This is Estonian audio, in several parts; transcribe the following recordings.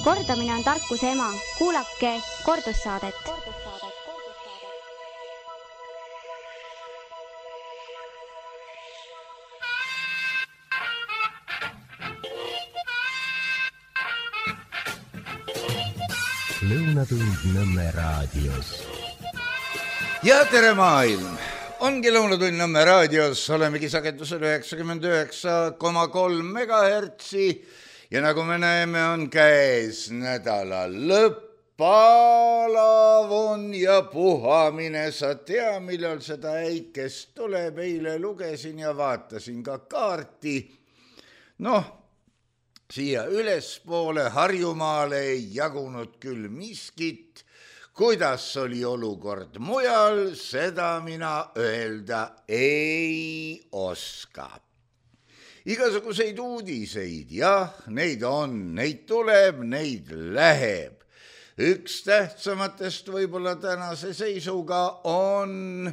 Kordamine on tarkuse ema. Kuulake kordussaadet. Lõunatund Nõmme raadios. Ja tere maailm! Ongi Lõunatund Nõmme raadios, olemegi sagedusel 99,3 megahertsi ja nagu me näeme, on käes nädala lõpp, palav on ja puhamine. Sa tea, millal seda äikest tuleb, eile lugesin ja vaatasin ka kaarti. Siia ülespoole Harjumaale ei jagunud küll miskit. Kuidas oli olukord mujal, seda mina öelda ei oska. Igasuguseid uudiseid, jah, neid on, neid tuleb, neid läheb. Üks tähtsamatest võib-olla tänase seisuga on,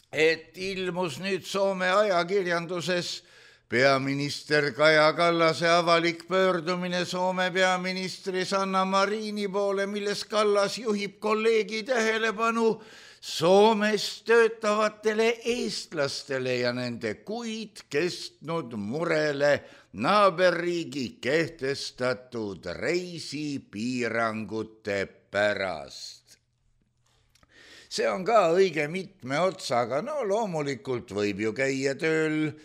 et ilmus nüüd Soome ajakirjanduses peaminister Kaja Kallase avalik pöördumine Soome peaministri Sanna Marini poole, milles Kallas juhib kolleegi tähelepanu Soomes töötavatele eestlastele ja nende kuid kestnud murele naaberriigi kehtestatud reisipiirangute pärast. See on ka õige mitme otsaga, loomulikult võib ju käia tööl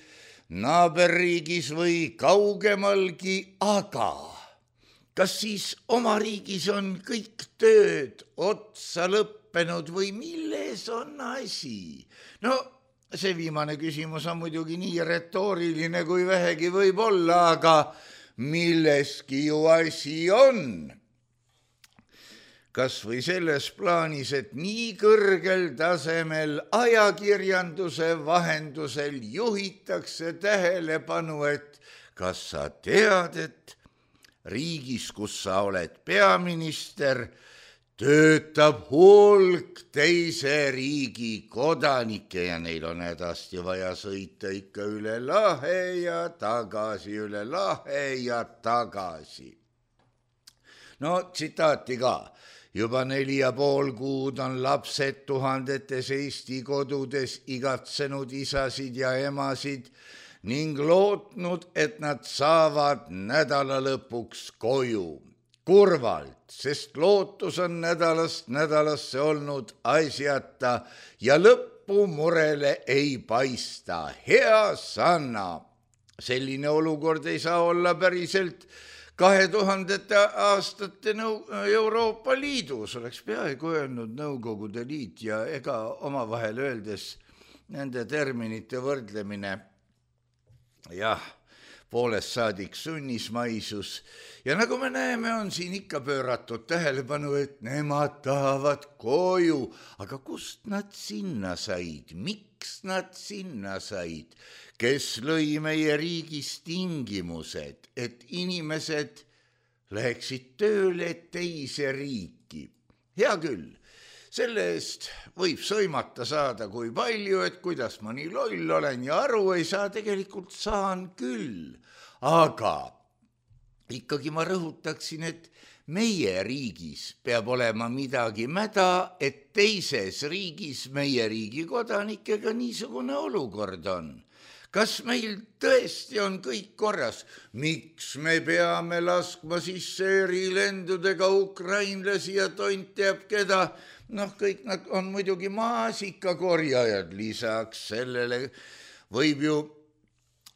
naaberriigis või kaugemalgi, aga kas siis oma riigis on kõik tööd otsa lõppenud või milles on asi? See viimane küsimus on muidugi nii retooriline kui vähegi võib olla, aga milleski ju asi on. Kas või selles plaanis, et nii kõrgel tasemel ajakirjanduse vahendusel juhitakse tähelepanu, et kas sa tead, et riigis, kus sa oled peaminister, töötab hulk teise riigi kodanikke ja neil on hädasti vaja sõita ikka üle lahe ja tagasi, üle lahe ja tagasi. Tsitaati ka. Juba 4,5 kuud on lapsed tuhandetes Eesti kodudes igatsenud isasid ja emasid ning lootnud, et nad saavad nädala lõpuks koju. Kurvalt, sest lootus on nädalast nädalasse olnud asjata ja lõppu murele ei paista. Hea Sanna, selline olukord ei saa olla päriselt 2000. aastate Euroopa Liidus, oleks peaaegu öelnud Nõukogude Liit ja ega omavahel öeldes nende terminite võrdlemine, jah, poolest saadik sunnismaisus. Ja nagu me näeme, on siin ikka pööratud tähelepanu, et nemad tahavad koju, aga kust nad sinna said, miks nad sinna said? Kes lõi meie riigis tingimused, et inimesed läheksid tööle teise riiki. Hea küll, selle eest võib sõimata saada kui palju, et kuidas ma nii loll olen ja aru ei saa, tegelikult saan küll. Aga ikkagi ma rõhutaksin, et meie riigis peab olema midagi mäda, et teises riigis meie riigi kodanikega niisugune olukord on. Kas meil tõesti on kõik korras? Miks me peame laskma sisse erilendudega ukrainlasi ja tont teab keda? Kõik nad on muidugi maasikakorjajad. Lisaks sellele võib ju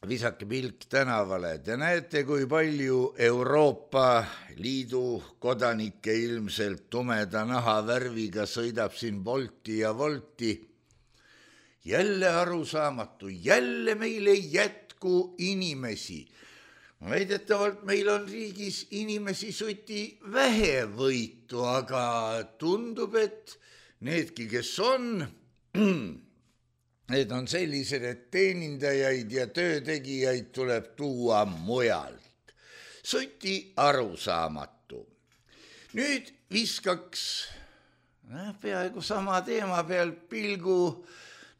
visake pilk tänavale. Te näete, kui palju Euroopa Liidu kodanikke ilmselt tumeda nahavärviga sõidab siin Bolti ja Volti. Jälle arusaamatu, jälle meil ei jätku inimesi. Väidetavalt meil on riigis inimesi suti vähevõitu, aga tundub, et needki, kes on, need on sellised, et teenindajaid ja töötegijaid tuleb tuua mujalt. Suti arusaamatu. Nüüd viskaks peaaegu sama teema peal pilgu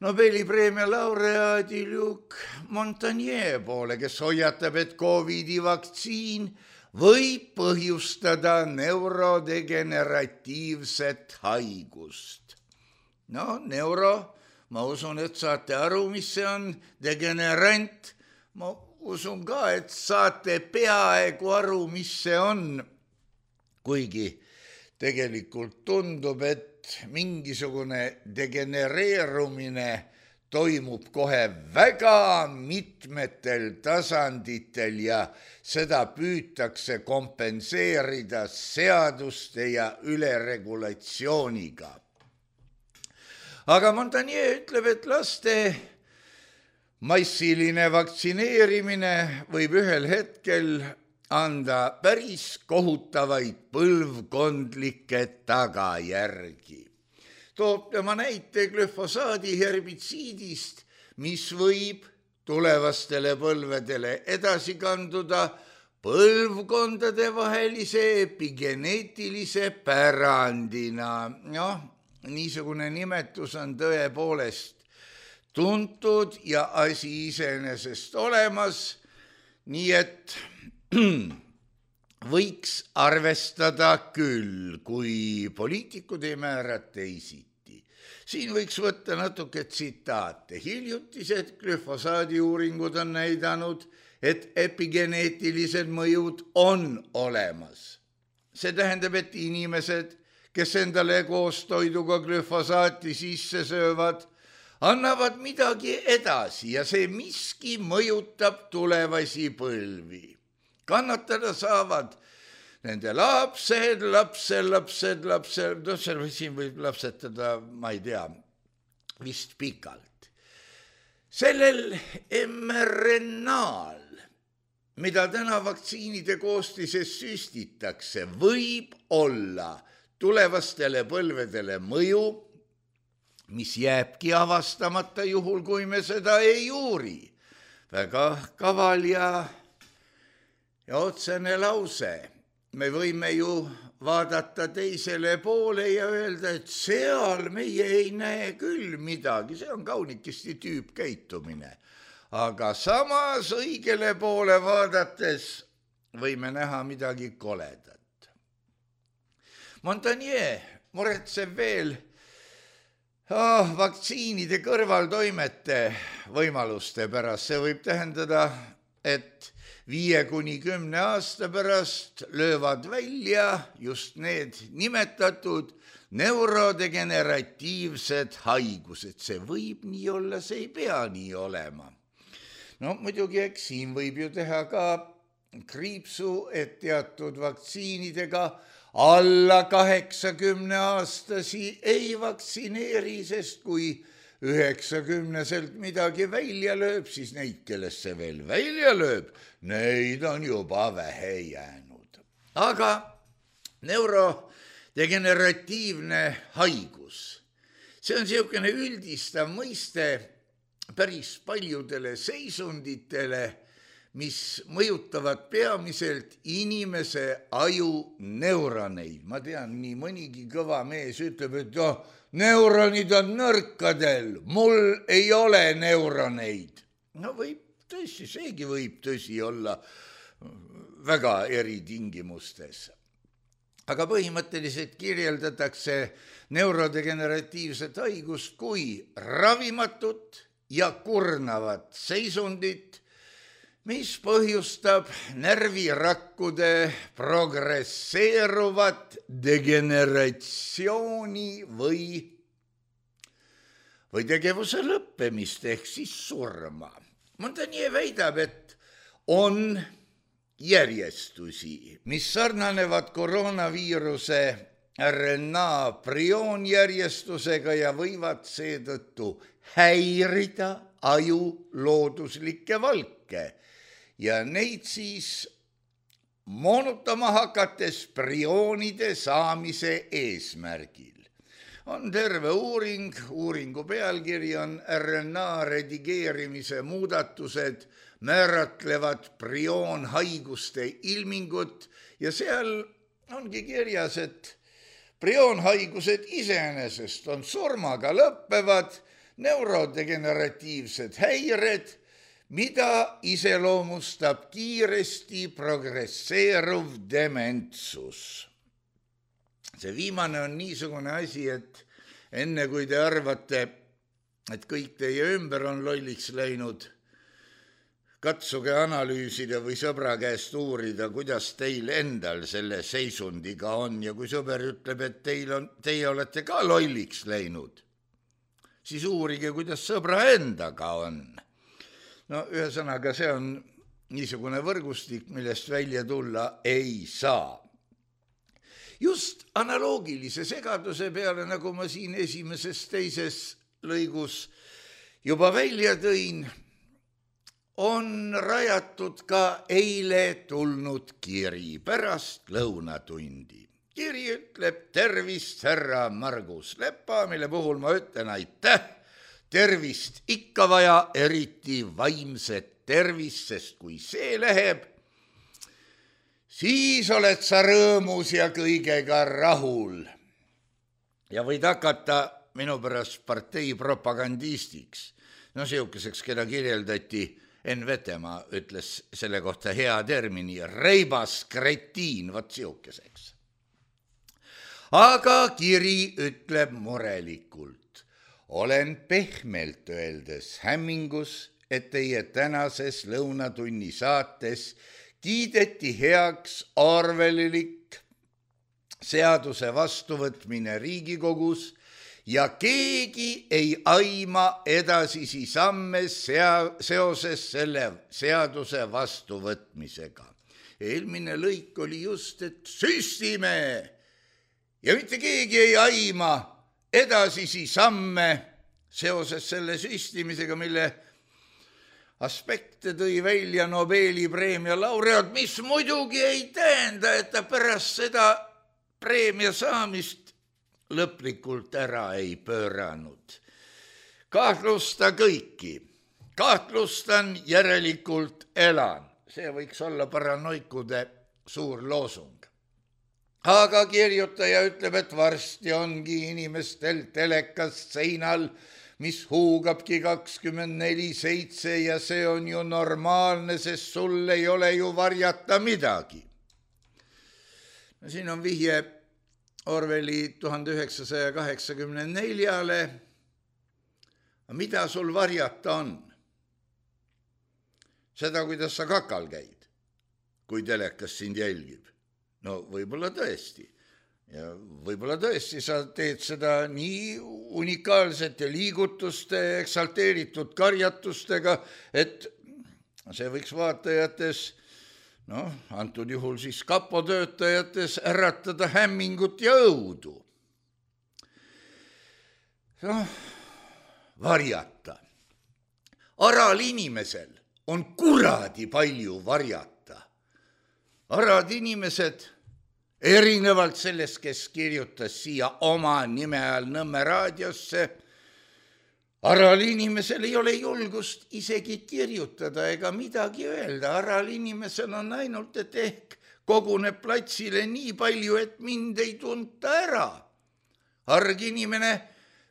Nobeli preemia laureaadi Luc Montagnier poole, kes hoiatab, et COVID-i vaktsiin võib põhjustada neurodegeneratiivset haigust. No, ma usun, et saate aru, mis see on, degenerant. Ma usun ka, et saate peaaegu aru, mis see on. Kuigi tegelikult tundub, et mingisugune degenereerumine toimub kohe väga mitmetel tasanditel ja seda püütakse kompenseerida seaduste ja üleregulatsiooniga. Aga Montagnier ütleb, et laste massiline vaktsineerimine võib ühel hetkel anda päris kohutavaid põlvkondlikke tagajärgi. Toob tema näite glüfosaadi herbitsiidist, mis võib tulevastele põlvedele edasi kanduda põlvkondade vahelise epigeneetilise pärandina. Niisugune nimetus on tõepoolest tuntud ja asi iseenesest olemas, nii et võiks arvestada küll, kui poliitikud ei määra teisiti. Siin võiks võtta natuke tsitaate. Hiljutised glüfosaadi uuringud on näidanud, et epigeneetilised mõjud on olemas. See tähendab, et inimesed, kes endale koos toiduga glüfosaati sisse söövad, annavad midagi edasi ja see miski mõjutab tulevasi põlvi. Kannatada saavad nende lapsed, siin võib lapsetada, ma ei tea, vist pikalt. Sellel mRNA-l, mida täna vaktsiinide koostises süstitakse, võib olla tulevastele põlvedele mõju, mis jääbki avastamata juhul, kui me seda ei uuri. Väga kaval ja otsene lause. Me võime ju vaadata teisele poole ja öelda, et seal meie ei näe küll midagi, see on kaunikesti tüüpkäitumine. Aga samas õigele poole vaadates võime näha midagi koledat. Montagnier muretseb veel vaktsiinide kõrvaltoimete võimaluste pärast. See võib tähendada, et 5–10 aasta pärast löövad välja just need nimetatud neurodegeneratiivsed haigused. See võib nii olla, see ei pea nii olema. No muidugi, eks siin võib ju teha ka kriipsu, et teatud vaktsiinidega alla 80-aastasi ei vaktsineeri, sest kui 90-selt midagi välja lööb, siis neid, kellest see veel välja lööb, neid on juba vähe jäänud. Aga neurodegeneratiivne haigus, see on niisugune üldistav mõiste päris paljudele seisunditele, mis mõjutavad peamiselt inimese aju neuroneid. Ma tean, nii mõnigi kõva mees ütleb, et neuronid on nõrkadel, mul ei ole neuroneid. No võib tõsi, seegi võib tõsi olla väga eritingimustes. Aga põhimõtteliselt kirjeldatakse neurodegeneratiivset haigust kui ravimatut ja kurnavat seisundit, mis põhjustab närvirakkude progresseeruvat degeneratsiooni või tegevuse lõppemist ehk siis surma. Montagnier väidab, et on järjestusi, mis sarnanevad koroonaviiruse RNA prioonjärjestusega ja võivad seetõttu häirida aju looduslikke valke ja neid siis moonutama hakates prioonide saamise eesmärgil. On terve uuringu pealkiri on RNA redigeerimise muudatused määratlevad prioonhaiguste ilmingut ja seal ongi kirjas, et prioonhaigused iseenesest on surmaga lõppevad neurodegeneratiivsed häired, mida iseloomustab kiiresti progresseeruv dementsus. See viimane on niisugune asi, et enne kui te arvate, et kõik teie ümber on lolliks läinud, katsuge analüüsida või sõbra käest uurida, kuidas teil endal selle seisundiga on ja kui sõber ütleb, et teie olete ka lolliks läinud, siis uurige, kuidas sõbra endaga on. No ühesõnaga, see on niisugune võrgustik, millest välja tulla ei saa. Just analoogilise segaduse peale, nagu ma siin esimeses teises lõigus juba välja tõin, on rajatud ka eile tulnud kiri pärast lõunatundi. Kiri ütleb tervist, härra Margus Lepa, mille puhul ma ütlen aitäh. Tervist ikka vaja, eriti vaimset tervist, sest kui see läheb, siis oled sa rõõmus ja kõigega rahul. Ja võid hakata minu pärast partei propagandistiks. No siukeseks, keda kirjeldati Enn Vetemaa ütles selle kohta hea termini, reibas kretiin, vaat siukeseks. Aga kiri ütleb murelikult. Olen pehmelt öeldes hämmingus, et teie tänases lõunatunni saates kiideti heaks Orwellilik seaduse vastuvõtmine Riigikogus ja keegi ei aima edasisi samme seoses selle seaduse vastuvõtmisega. Eelmine lõik oli just, et süstime ja mitte keegi ei aima edasisi samme seoses selle süstimisega, mille aspekte tõi välja Nobeli preemia laureaat, mis muidugi ei tähenda, et ta pärast seda preemia saamist lõplikult ära ei pööranud. Kahtlusta kõiki. Kahtlustan, järelikult elan. See võiks olla paranoikude suur loosung. Aga kirjutaja ütleb, et varsti ongi inimestel telekast seinal, mis huugabki 24/7 ja see on ju normaalne, sest sul ei ole ju varjata midagi. No, siin on vihje Orwelli 1984-le. Mida sul varjata on? Seda, kuidas sa kakal käid, kui telekas sind jälgib. No võib-olla tõesti. Ja võib-olla tõesti sa teed seda nii unikaalsete liigutuste, eksalteeritud karjatustega, et see võiks vaatajates, antud juhul siis kapo töötajates äratada hämmingut ja õudu. Varjata. Aral inimesel on kuradi palju varjata. Arad inimesed, erinevalt sellest, kes kirjutas siia oma nime all Nõmme raadiosse, aral inimesel ei ole julgust isegi kirjutada ega midagi öelda. Aral inimesel on ainult, et ehk koguneb platsile nii palju, et mind ei tunta ära. Arg inimene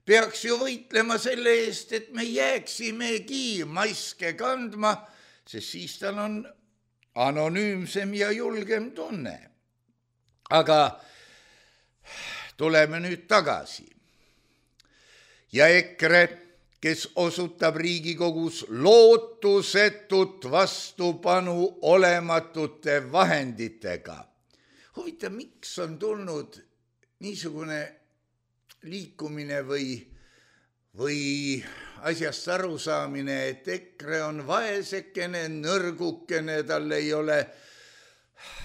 peaks ju võitlema selle eest, et me jääksimegi maske kandma, sest siis tal on anonüümsem ja julgem tunne. Aga tuleme nüüd tagasi. Ja EKRE, kes osutab Riigikogus lootusetut vastupanu olematute vahenditega. Huvitav, miks on tulnud niisugune liikumine või asjast arusaamine, et EKRE on vaesekene, nõrgukene, tal ei ole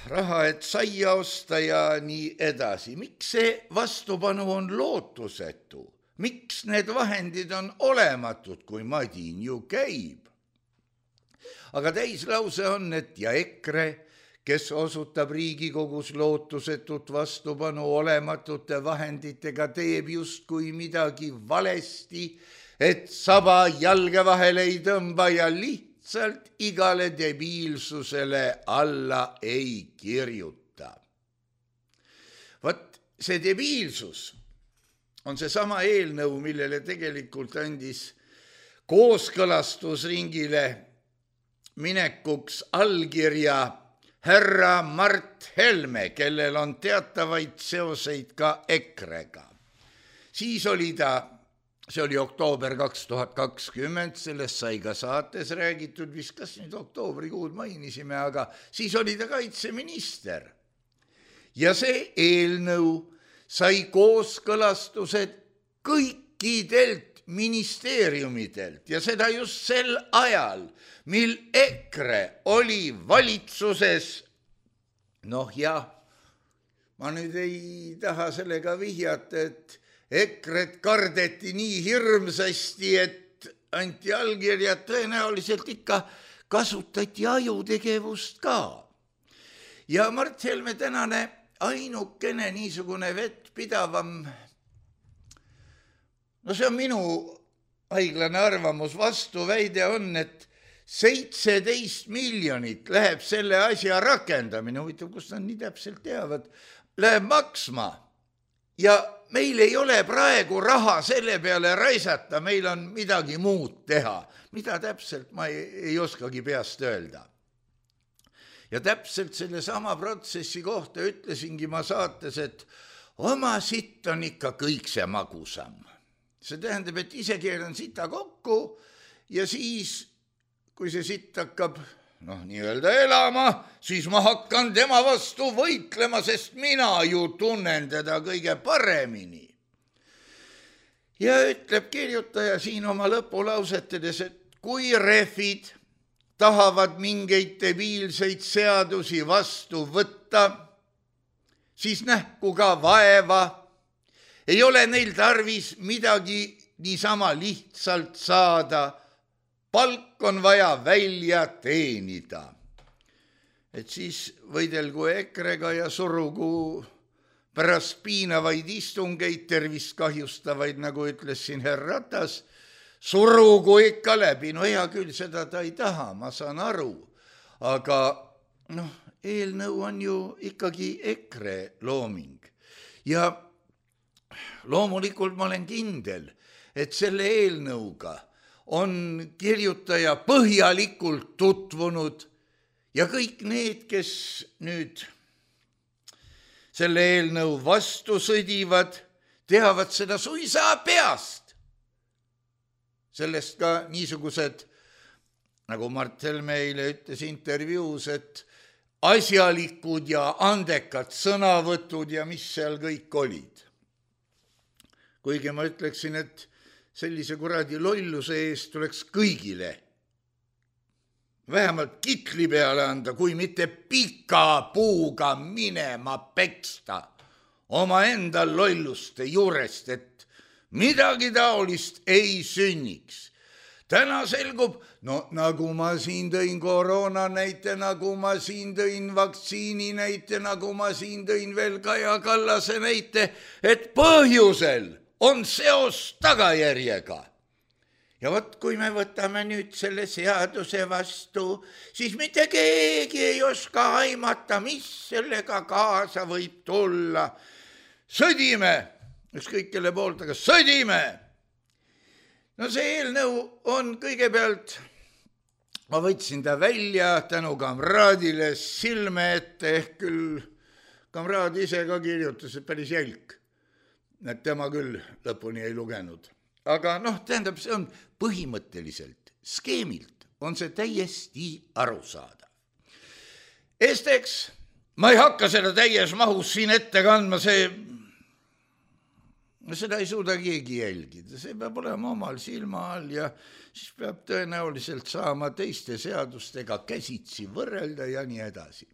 raha, et saia osta ja nii edasi. Miks see vastupanu on lootusetu? Miks need vahendid on olematud, kui madin ju käib? Aga täislause on, et ja EKRE, kes osutab Riigikogus lootusetut vastupanu olematute vahenditega, teeb justkui midagi valesti, et saba jalge vahele ei tõmba ja lihtsalt igale debiilsusele alla ei kirjuta. Vot see debiilsus on see sama eelnõu, millele tegelikult andis kooskõlastusringile minekuks allkirja härra Mart Helme, kellel on teatavaid seoseid ka EKRE-ga. Siis oli see oli oktoober 2020, sellest sai ka saates räägitud, vist kas nüüd oktoobrikuud mainisime, aga siis oli ta kaitseminister. Ja see eelnõu sai kooskõlastused kõikidelt ministeeriumidelt ja seda just sel ajal, mil EKRE oli valitsuses. Noh jah, ma nüüd ei taha sellega vihjata, et EKRE-t kardeti nii hirmsasti, et anti allkirjad, tõenäoliselt ikka kasutati ajutegevust ka. Ja Mart Helme tänane ainukene niisugune vettpidavam, no see on minu haiglane arvamus, vastuväide on, et 17 miljonit läheb selle asja rakendamine, huvitav, kus nad nii täpselt teavad, läheb maksma. Ja meil ei ole praegu raha selle peale raisata, meil on midagi muud teha. Mida täpselt ma ei oskagi peast öelda. Ja täpselt selle sama protsessi kohta ütlesingi ma saates, et oma sitt on ikka kõik see magusam. See tähendab, et ise keeran sita kokku ja siis, kui see sitt hakkab nii-öelda elama, siis ma hakkan tema vastu võitlema, sest mina ju tunnen teda kõige paremini. Ja ütleb kirjutaja siin oma lõpulausetedes, et kui rehvid tahavad mingeid debiilseid seadusi vastu võtta, siis nähku ka vaeva. Ei ole neil tarvis midagi niisama lihtsalt saada. Palk on vaja välja teenida. Et siis võidelgu EKRE-ga ja surugu pärast piinavaid istungeid, tervist kahjustavaid, nagu ütles siin herr Ratas, surugu ikka läbi. No hea küll, seda ta ei taha, ma saan aru. Aga eelnõu on ju ikkagi EKRE looming. Ja loomulikult ma olen kindel, et selle eelnõuga on kirjutaja põhjalikult tutvunud ja kõik need, kes nüüd selle eelnõu vastu sõdivad, teavad seda suisa peast. Sellest ka niisugused, nagu Mart Helme eile ütles intervjuus, et asjalikud ja andekad sõnavõtud ja mis seal kõik olid. Kuigi ma ütleksin, et sellise kuradi lolluse eest tuleks kõigile vähemalt kitli peale anda, kui mitte pika puuga minema peksta omaenda lolluste juurest, et midagi taolist ei sünniks. Täna selgub, nagu ma siin tõin koroona näite, nagu ma siin tõin vaktsiini näite, nagu ma siin tõin veel Kaja Kallase näite, et põhjusel on seos tagajärjega. Ja vot, kui me võtame nüüd selle seaduse vastu, siis mitte keegi ei oska aimata, mis sellega kaasa võib tulla. Sõdime, ükskõik kelle poolt, aga sõdime. No see eelnõu on kõigepealt, ma võtsin ta välja tänu kamraadile silme ette, ehk küll kamraad ise ka kirjutas, et päris jälk. Et tema küll lõpuni ei lugenud. Aga tähendab, see on põhimõtteliselt, skeemilt on see täiesti arusaadav. Esiteks, ma ei hakka seda täies mahus siin ette kandma, seda ei suuda keegi jälgida. See peab olema omal silma all ja siis peab tõenäoliselt saama teiste seadustega käsitsi võrrelda ja nii edasi.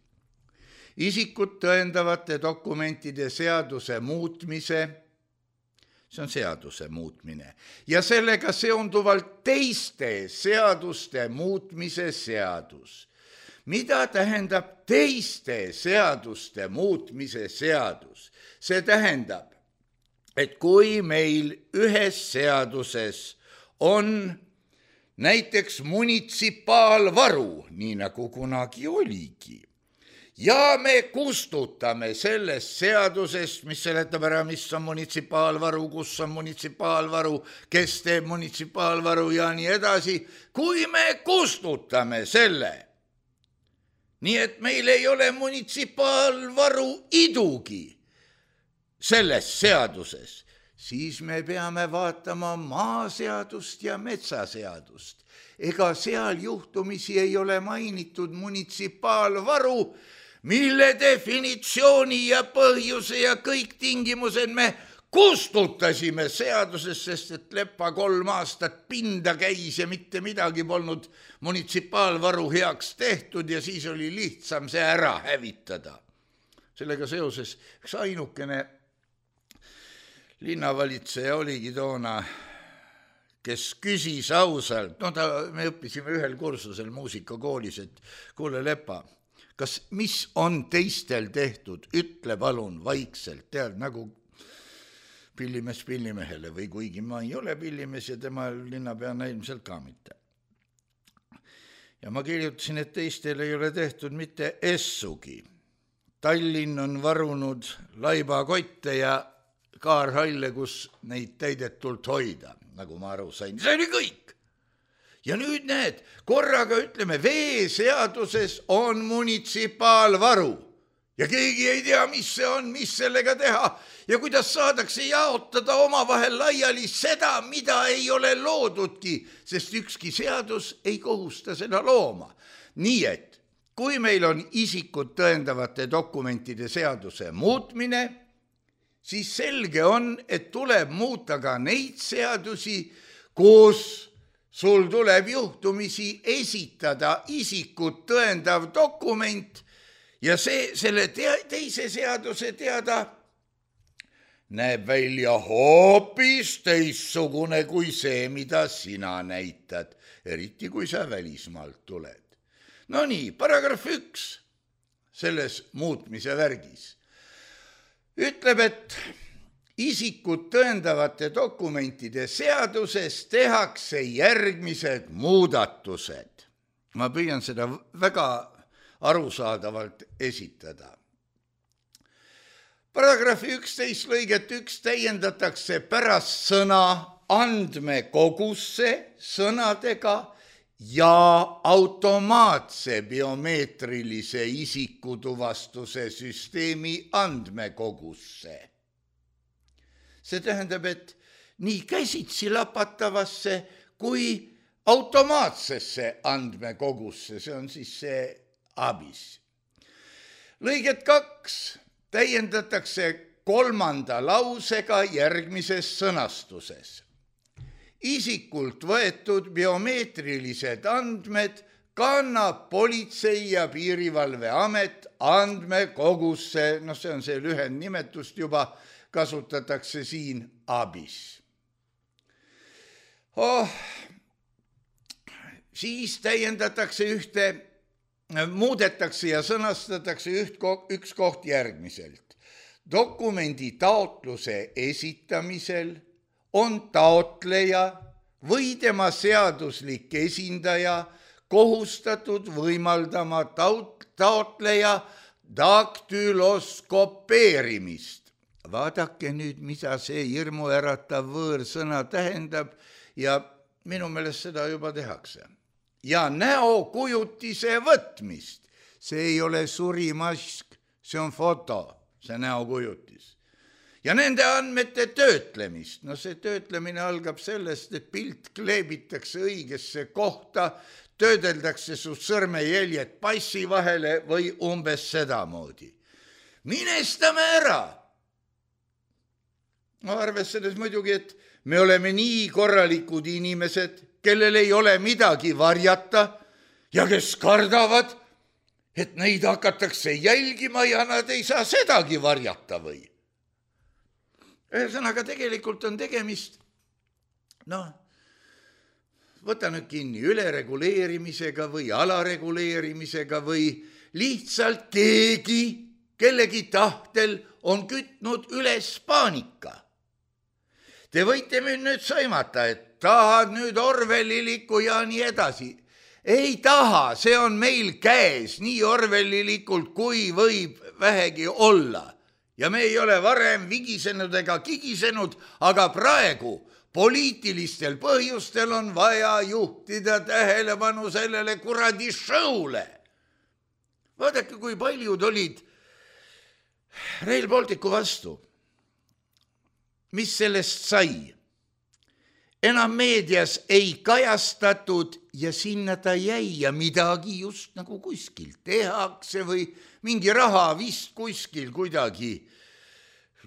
Isikut tõendavate dokumentide seaduse muutmise, see on seaduse muutmine, ja sellega seonduvalt teiste seaduste muutmise seadus. Mida tähendab teiste seaduste muutmise seadus? See tähendab, et kui meil ühes seaduses on näiteks munitsipaalvaru, nii nagu kunagi oligi, ja me kustutame sellest seadusest, mis seletab ära, mis on munitsipaalvaru, kus on munitsipaalvaru, kes teeb munitsipaalvaru ja nii edasi, kui me kustutame selle. Nii et meil ei ole munitsipaalvaru idugi selles seaduses, siis me peame vaatama maaseadust ja metsaseadust. Ega seal juhtumisi ei ole mainitud munitsipaalvaru, mille definitsiooni ja põhjuse ja kõik tingimused me kustutasime seadusest, sest et Lepa 3 aastat pinda käis ja mitte midagi polnud munitsipaalvaru heaks tehtud ja siis oli lihtsam see ära hävitada. Sellega seoses üks ainukene linnavalitseja oligi toona, kes küsis ausalt, me õppisime ühel kursusel muusikakoolis, et kuule Lepa, kas mis on teistel tehtud, ütle palun vaikselt, tead nagu pillimees pillimehele või kuigi ma ei ole pillimees ja tema linnapeana ilmselt ka mitte. Ja ma kirjutasin, et teistel ei ole tehtud mitte essugi. Tallinn on varunud laibakotte ja kaarhalle, kus neid täidetult hoida, nagu ma aru sain. See oli kõik. Ja nüüd need, korraga ütleme, veeseaduses on munitsipaalvaru ja keegi ei tea, mis see on, mis sellega teha ja kuidas saadakse jaotada omavahel laiali seda, mida ei ole loodudki, sest ükski seadus ei kohusta seda looma. Nii et, kui meil on isikut tõendavate dokumentide seaduse muutmine, siis selge on, et tuleb muuta ka neid seadusi, kus sul tuleb juhtumisi esitada isikut tõendav dokument ja selle teise seaduse teada näeb välja hoopis teissugune kui see, mida sina näitad, eriti kui sa välismaalt tuled. No nii, paragrahv 1 selles muutmise värgis ütleb, et isikut tõendavate dokumentide seaduses tehakse järgmised muudatused. Ma püüan seda väga arusaadavalt esitada. Paragrahvi 11 lõiget 1 täiendatakse pärast sõna andmekogusse sõnadega ja automaatse biomeetrilise isikutuvastuse süsteemi andmekogusse. See tähendab, et nii käsitsi lapatavasse kui automaatsesse andmekogusse, see on siis see ABIS. Lõiget 2 täiendatakse 3. lausega järgmises sõnastuses. Isikult võetud biomeetrilised andmed kannab Politsei- ja Piirivalveamet andmekogusse, see on see lühendnimetust juba, kasutatakse siin ABIS. Siis täiendatakse muudetakse ja sõnastatakse üks koht järgmiselt. Dokumendi taotluse esitamisel on taotleja või tema seaduslik esindaja kohustatud võimaldama taotleja daktyloskopeerimist. Vaadake nüüd, mida see hirmuäratav võõrsõna tähendab ja minu meelest seda juba tehakse. Ja näokujutise võtmist. See ei ole surimask, see on foto, see näokujutis. Ja nende andmete töötlemist. See töötlemine algab sellest, et pilt kleebitakse õigesse kohta, töödeldakse su sõrmejäljed passi vahele või umbes sedamoodi. Minestame ära. Arvestades muidugi, et me oleme nii korralikud inimesed, kellel ei ole midagi varjata ja kes kardavad, et neid hakatakse jälgima ja nad ei saa sedagi varjata või. Ühesõnaga tegelikult on tegemist, võta nüüd kinni, ülereguleerimisega või alareguleerimisega või lihtsalt kellegi tahtel on kütnud üles paanika. Te võite nüüd saimata, et tahad nüüd Orwellilikku ja nii edasi. ei taha, see on meil käes nii orwellilikult, kui võib vähegi olla. Ja me ei ole varem vigisenud ega kigisenud, aga praegu poliitilistel põhjustel on vaja juhtida tähelepanu sellele kuradi show'le. Vaadake, kui paljud olid Rail Balticu vastu. Mis sellest sai? Enam meedias ei kajastatud ja sinna ta jäi ja midagi just nagu kuskil tehakse või mingi raha vist kuskil kuidagi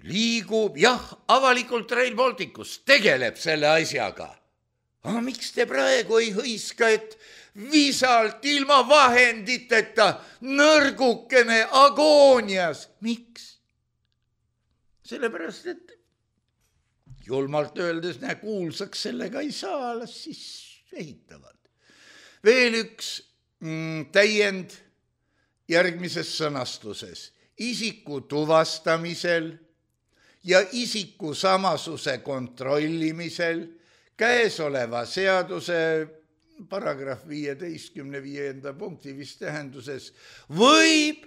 liigub. Jah, avalikult Rail Balticus tegeleb selle asjaga. Aga miks te praegu ei hõiska, et visalt ilma vahenditeta nõrgukene agoonias? Miks? Sellepärast, et julmalt öeldes kuulsaks sellega ei saa, las siis ehitavad. Veel üks täiend järgmises sõnastuses. Isiku tuvastamisel ja isiku samasuse kontrollimisel käesoleva seaduse paragrahv 15 punkti vist tähenduses võib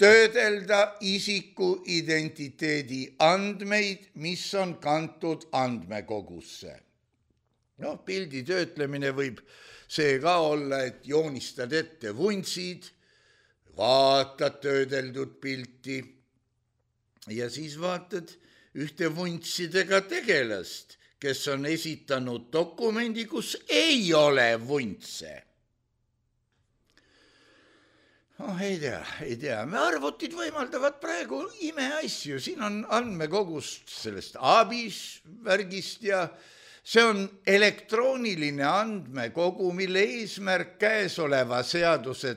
töödelda isiku identiteedi andmeid, mis on kantud andmekogusse. Pildi töötlemine võib see ka olla, et joonistad ette vuntsid, vaatad töödeldud pilti ja siis vaatad ühte vuntssidega tegelast, kes on esitanud dokumendi, kus ei ole vuntse. Ei tea. Me arvutid võimaldavad praegu imeasju. Siin on andmekogust sellest abis värgist ja see on elektrooniline andmekogu, mille eesmärk käesoleva seaduse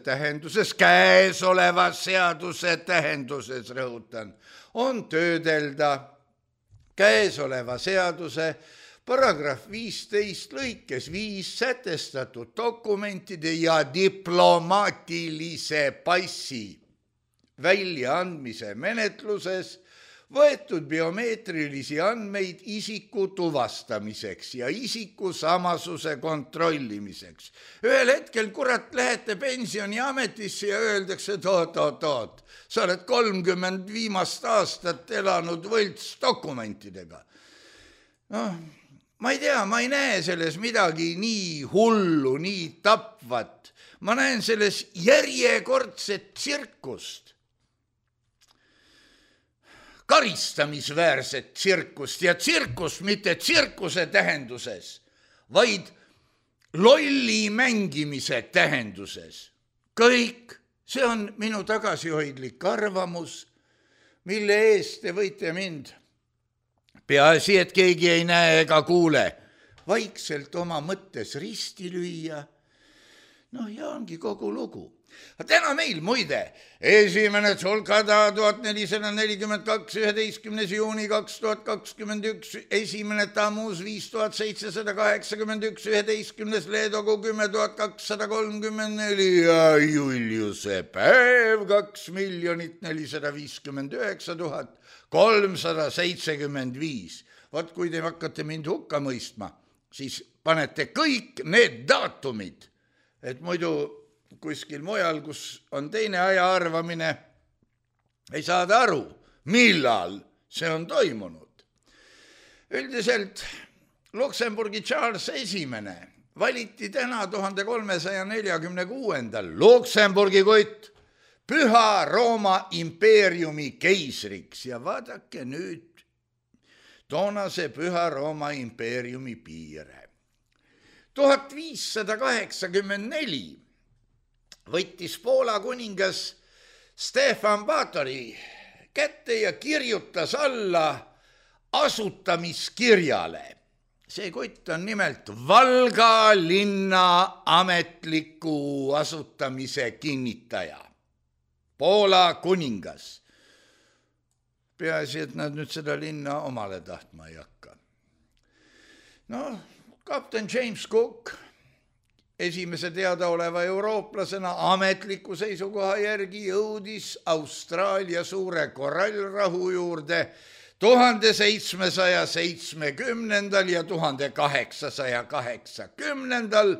tähenduses, rõhutan, on töödelda käesoleva seaduse paragrahv 15 lõikes 5 sätestatud dokumentide ja diplomaatilise passi väljaandmise menetluses võetud biomeetrilisi andmeid isiku tuvastamiseks ja isiku samasuse kontrollimiseks. Ühel hetkel, lähete pensioniametisse ja öeldakse, et oot, sa oled 30 viimast aastat elanud võltsdokumentidega. Ma ei tea, ma ei näe selles midagi nii hullu, nii tapvat. Ma näen selles järjekordset tsirkust. Karistamisväärset tsirkust ja tsirkust mitte tsirkuse tähenduses, vaid lolli mängimise tähenduses. Kõik, see on minu tagasihoidlik arvamus, mille eest te võite mind peaasi, et keegi ei näe ega kuule, vaikselt oma mõttes risti lüüa. Ja ongi kogu lugu. Täna meil muide, esimene Tsolkada 1442, 11. juuni 2021, esimene Tammuz 5781, 11. Leedogu 10.234 ja Juliuse päev 2,459,375. Vaat kui te hakkate mind hukka mõistma, siis panete kõik need daatumid, et muidu kuskil mujal, kus on teine aja arvamine, ei saada aru, millal see on toimunud. Üldiselt Luksemburgi Charles esimene valiti täna 1346. Luksemburgi kutt Püha Rooma impeeriumi keisriks ja vaadake nüüd toonase Püha Rooma impeeriumi piire. 1584 võttis Poola kuningas Stefan Batory kätte ja kirjutas alla asutamiskirjale. See kutt on nimelt Valga linna ametliku asutamise kinnitaja. Poola kuningas. Peaasi, et nad nüüd seda linna omale tahtma ei hakka. Kapten James Cook esimese teadaoleva eurooplasena ametliku seisukoha järgi jõudis Austraalia suure korallrahu juurde 1770. ja 1880.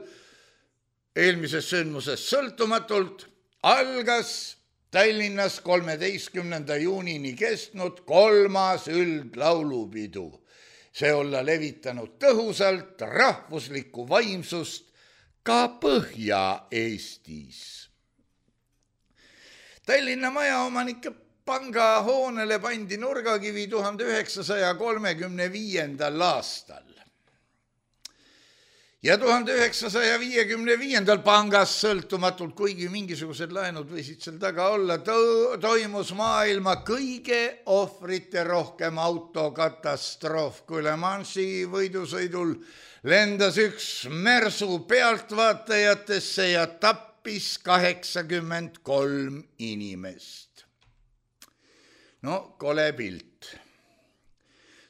eelmisest sündmusest sõltumatult algas Tallinnas 13. juunini kestnud 3. üldlaulupidu. See olla levitanud tõhusalt rahvuslikku vaimsust ka Põhja-Eestis. Tallinna majaomanike panga hoonele pandi nurgakivi 1935. aastal. Ja 1955. pangas sõltumatult, kuigi mingisugused laenud võisid seal taga olla, toimus maailma kõige ohvrite rohkem autokatastroof, kui Le Mansi võidusõidul lendas üks mersu pealtvaatajatesse ja tappis 83 inimest. No, kole pilt.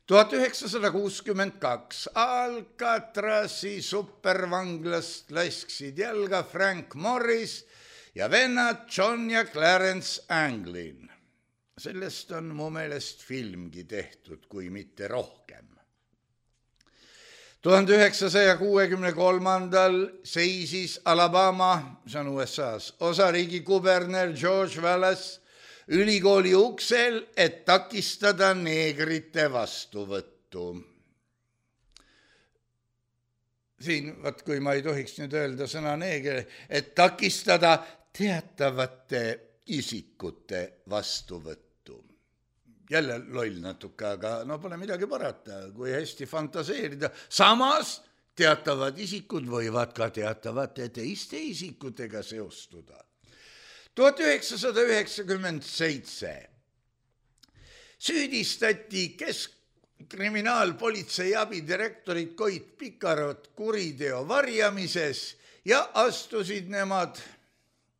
1962 Alcatrazi supervanglast lasksid jalga Frank Morris ja vennad John ja Clarence Anglin. Sellest on mu meelest filmgi tehtud, kui mitte rohkem. 1963. seisis Alabama, see on USA's, osariigi kuberner George Wallace ülikooli uksel, et takistada neegrite vastuvõttu. Siin, kui ma ei tohiks nüüd öelda sõna neeger, et takistada teatavate isikute vastuvõttu. Jälle loll natuke, aga no pole midagi parata, kui hästi fantaseerida. Samas teatavad isikud võivad ka teatavate teiste isikutega seostuda. 1997 süüdistati keskkriminaalpolitsei abidirektorit Koit Pikarot kuriteo varjamises ja astusid nemad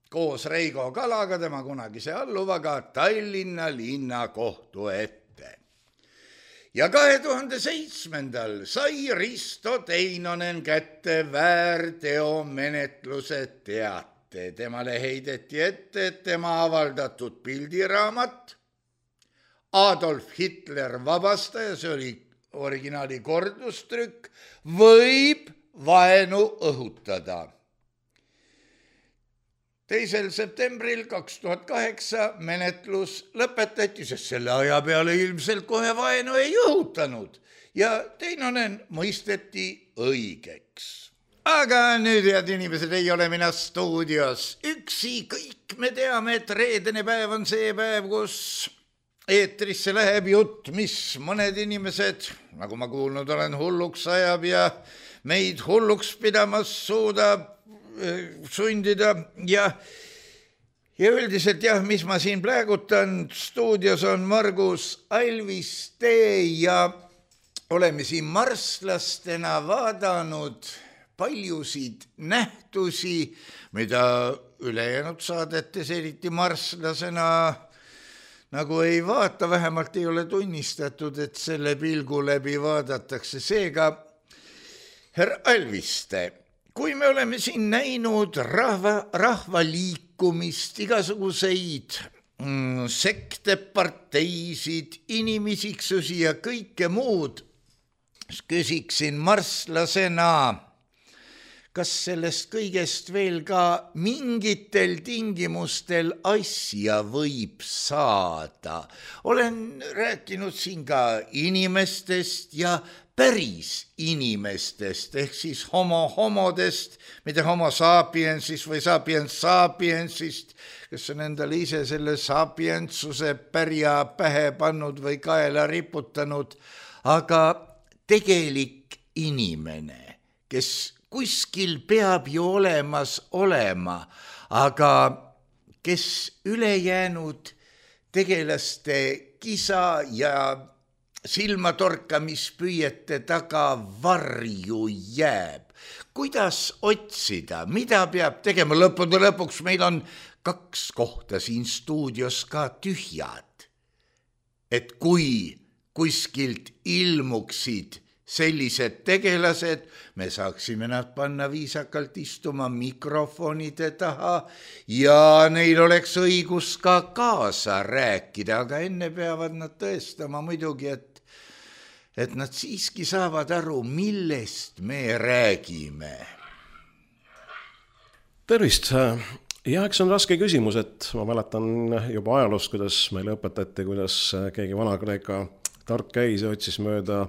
koos Reigo Kalaga, tema kunagise alluvaga, Tallinna linnakohtu ette. Ja 2007. sai Risto Teinonen kätte väärteomenetluse teate. Temale heideti ette, et tema avaldatud pildiraamat Adolf Hitler vabastaja, see oli originaali kordustrükk, võib vaenu õhutada. 2. septembril 2008 menetlus lõpetati, sest selle aja peale ilmselt kohe vaenu ei õhutanud ja Teinonen mõisteti õigeks. Aga nüüd, head inimesed, ei ole mina stuudios üksi, kõik me teame, et reedene päev on see päev, kus eetrisse läheb jutt, mis mõned inimesed, nagu ma kuulnud olen, hulluks ajab ja meid hulluks pidamas suudab sundida ja üldiselt jah, mis ma siin plägutan, stuudios on Margus Alviste ja oleme siin marslastena vaadanud paljusid nähtusi, mida ülejäänud saadetes eriti marslasena nagu ei vaata, vähemalt ei ole tunnistatud, et selle pilgu läbi vaadatakse. Seega, härra Alviste, kui me oleme siin näinud rahvaliikumist, igasuguseid sekte, parteisid, inimisiksusi ja kõike muud, küsiksin marslasena, kas sellest kõigest veel ka mingitel tingimustel asja võib saada? Olen rääkinud siin ka inimestest ja päris inimestest, ehk siis homodest, mitte homo sapiensist või sapiens sapiensist, kes on endale ise selle sapientsuse pärja pähe pannud või kaela riputanud, aga tegelik inimene, kes kuskil peab ju olemas olema, aga kes ülejäänud tegelaste kisa ja silmatorkamispüüete taga varju jääb. Kuidas otsida, mida peab tegema? Lõppude lõpuks meil on 2 kohta siin stuudios ka tühjad. Et kui kuskilt ilmuksid sellised tegelased, me saaksime nad panna viisakalt istuma mikrofonide taha ja neil oleks õigus ka kaasa rääkida, aga enne peavad nad tõestama muidugi, et nad siiski saavad aru, millest me räägime. Tervist! Ja eks on raske küsimus, et ma mäletan juba ajaloost, kuidas meile õpetati, kuidas keegi Vana-Kreeka tark käis ja otsis mööda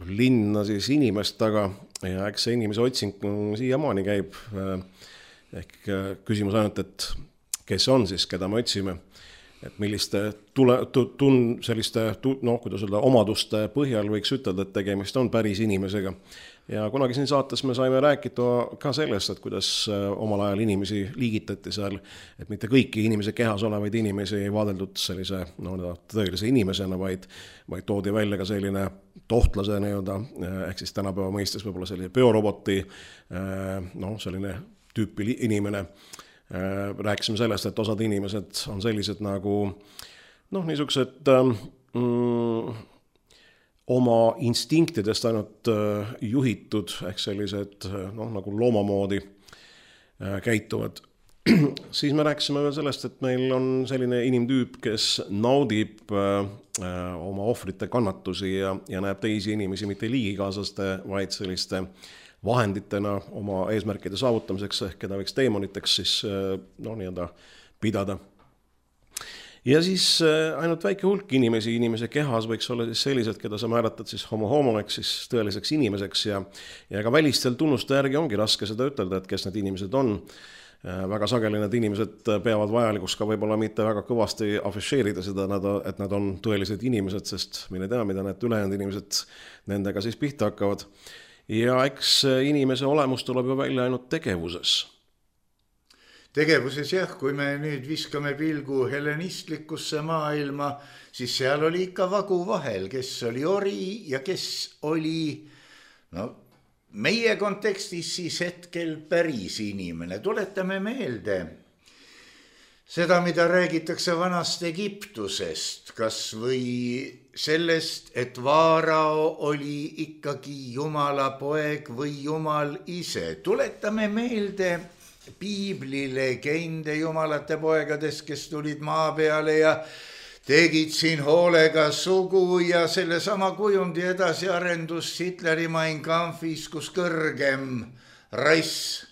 linna siis inimest taga ja eks see inimese otsing siiamaani käib. Ehk küsimus ainult, et kes on siis, keda me otsime, et milliste selliste kuidas öelda, omaduste põhjal võiks ütelda, et tegemist on päris inimesega. Ja kunagi siin saates me saime rääkida ka sellest, et kuidas omal ajal inimesi liigitati seal, et mitte kõiki inimese kehas olevaid inimesi ei vaadeldud sellise tõelise inimesena, vaid toodi välja ka selline tohtlase ehk siis tänapäeva mõistes võib-olla selline bioroboti, selline tüüpi inimene. Rääkisime sellest, et osad inimesed on sellised nagu niisugused oma instinktidest ainult juhitud, ehk sellised nagu loomamoodi käituvad. Siis me rääkisime veel sellest, et meil on selline inimtüüp, kes naudib oma ohvrite kannatusi ja näeb teisi inimesi mitte liigikaaslaste, vaid selliste vahenditena oma eesmärkide saavutamiseks, ehk keda võiks teemoniteks siis pidada. Ja siis ainult väike hulk inimese kehas võiks olla siis sellised, keda sa määratad siis homo ehk siis tõeliseks inimeseks ja ka välistel tunnuste järgi ongi raske seda ütelda, et kes need inimesed on. Väga sageli need inimesed peavad vajalikuks ka võib-olla mitte väga kõvasti afišeerida seda, et nad on tõelised inimesed, sest mine tea, mida need ülejäänud inimesed nendega siis pihta hakkavad. Ja eks inimese olemus tuleb ju välja ainult tegevuses. Tegevuses jah, kui me nüüd viskame pilgu hellenistlikkusse maailma, siis seal oli ikka vagu vahel, kes oli ori ja kes oli meie kontekstis siis hetkel päris inimene. Tuletame meelde seda, mida räägitakse vanast Egiptusest, kas või sellest, et Vaarao oli ikkagi Jumala poeg või Jumal ise. Tuletame meelde Piibli legende jumalate poegadest, kes tulid maa peale ja tegid siin hoolega sugu ja sellesama kujundi edasiarendus Hitleri Mein Kampfis, kus kõrgem rass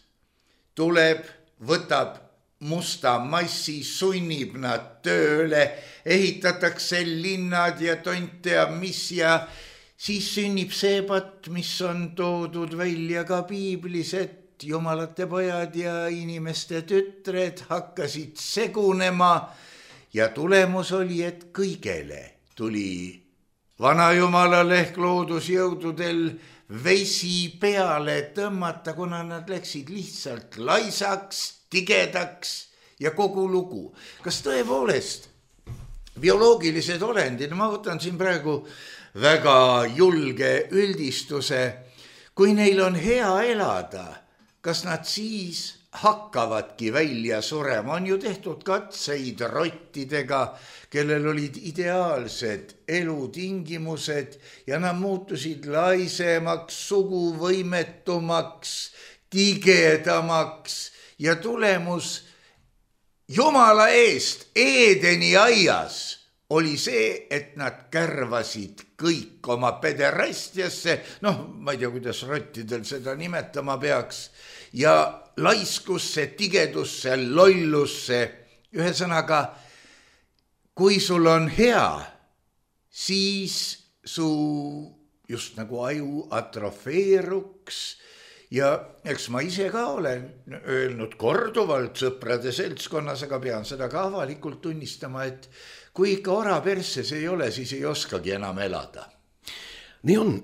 tuleb, võtab musta massi, sunnib nad tööle, ehitatakse linnad ja tont teab mis ja siis sünnib see patt, mis on toodud välja ka Piiblis, et jumalate pojad ja inimeste tütred hakkasid segunema ja tulemus oli, et kõigele tuli vanajumalal ehk loodusjõududel vesi peale tõmmata, kuna nad läksid lihtsalt laisaks, tigedaks ja kogu lugu. Kas tõepoolest bioloogilised olendid, ma võtan siin praegu väga julge üldistuse, kui neil on hea elada, kas nad siis hakkavadki välja surema? On ju tehtud katseid rottidega, kellel olid ideaalsed elutingimused ja nad muutusid laisemaks, suguvõimetumaks, tigedamaks ja tulemus Jumala eest Eedeni aias oli see, et nad kärvasid kõik oma pederastiasse, ma ei tea, kuidas rottidel seda nimetama peaks, ja laiskusse, tigedusse, lollusse. Ühesõnaga, kui sul on hea, siis su just nagu aju atrofeeruks ja eks ma ise ka olen öelnud korduvalt sõprade seltskonnas, aga pean seda ka avalikult tunnistama, et kui ikka ora perses ei ole, siis ei oskagi enam elada. Nii on.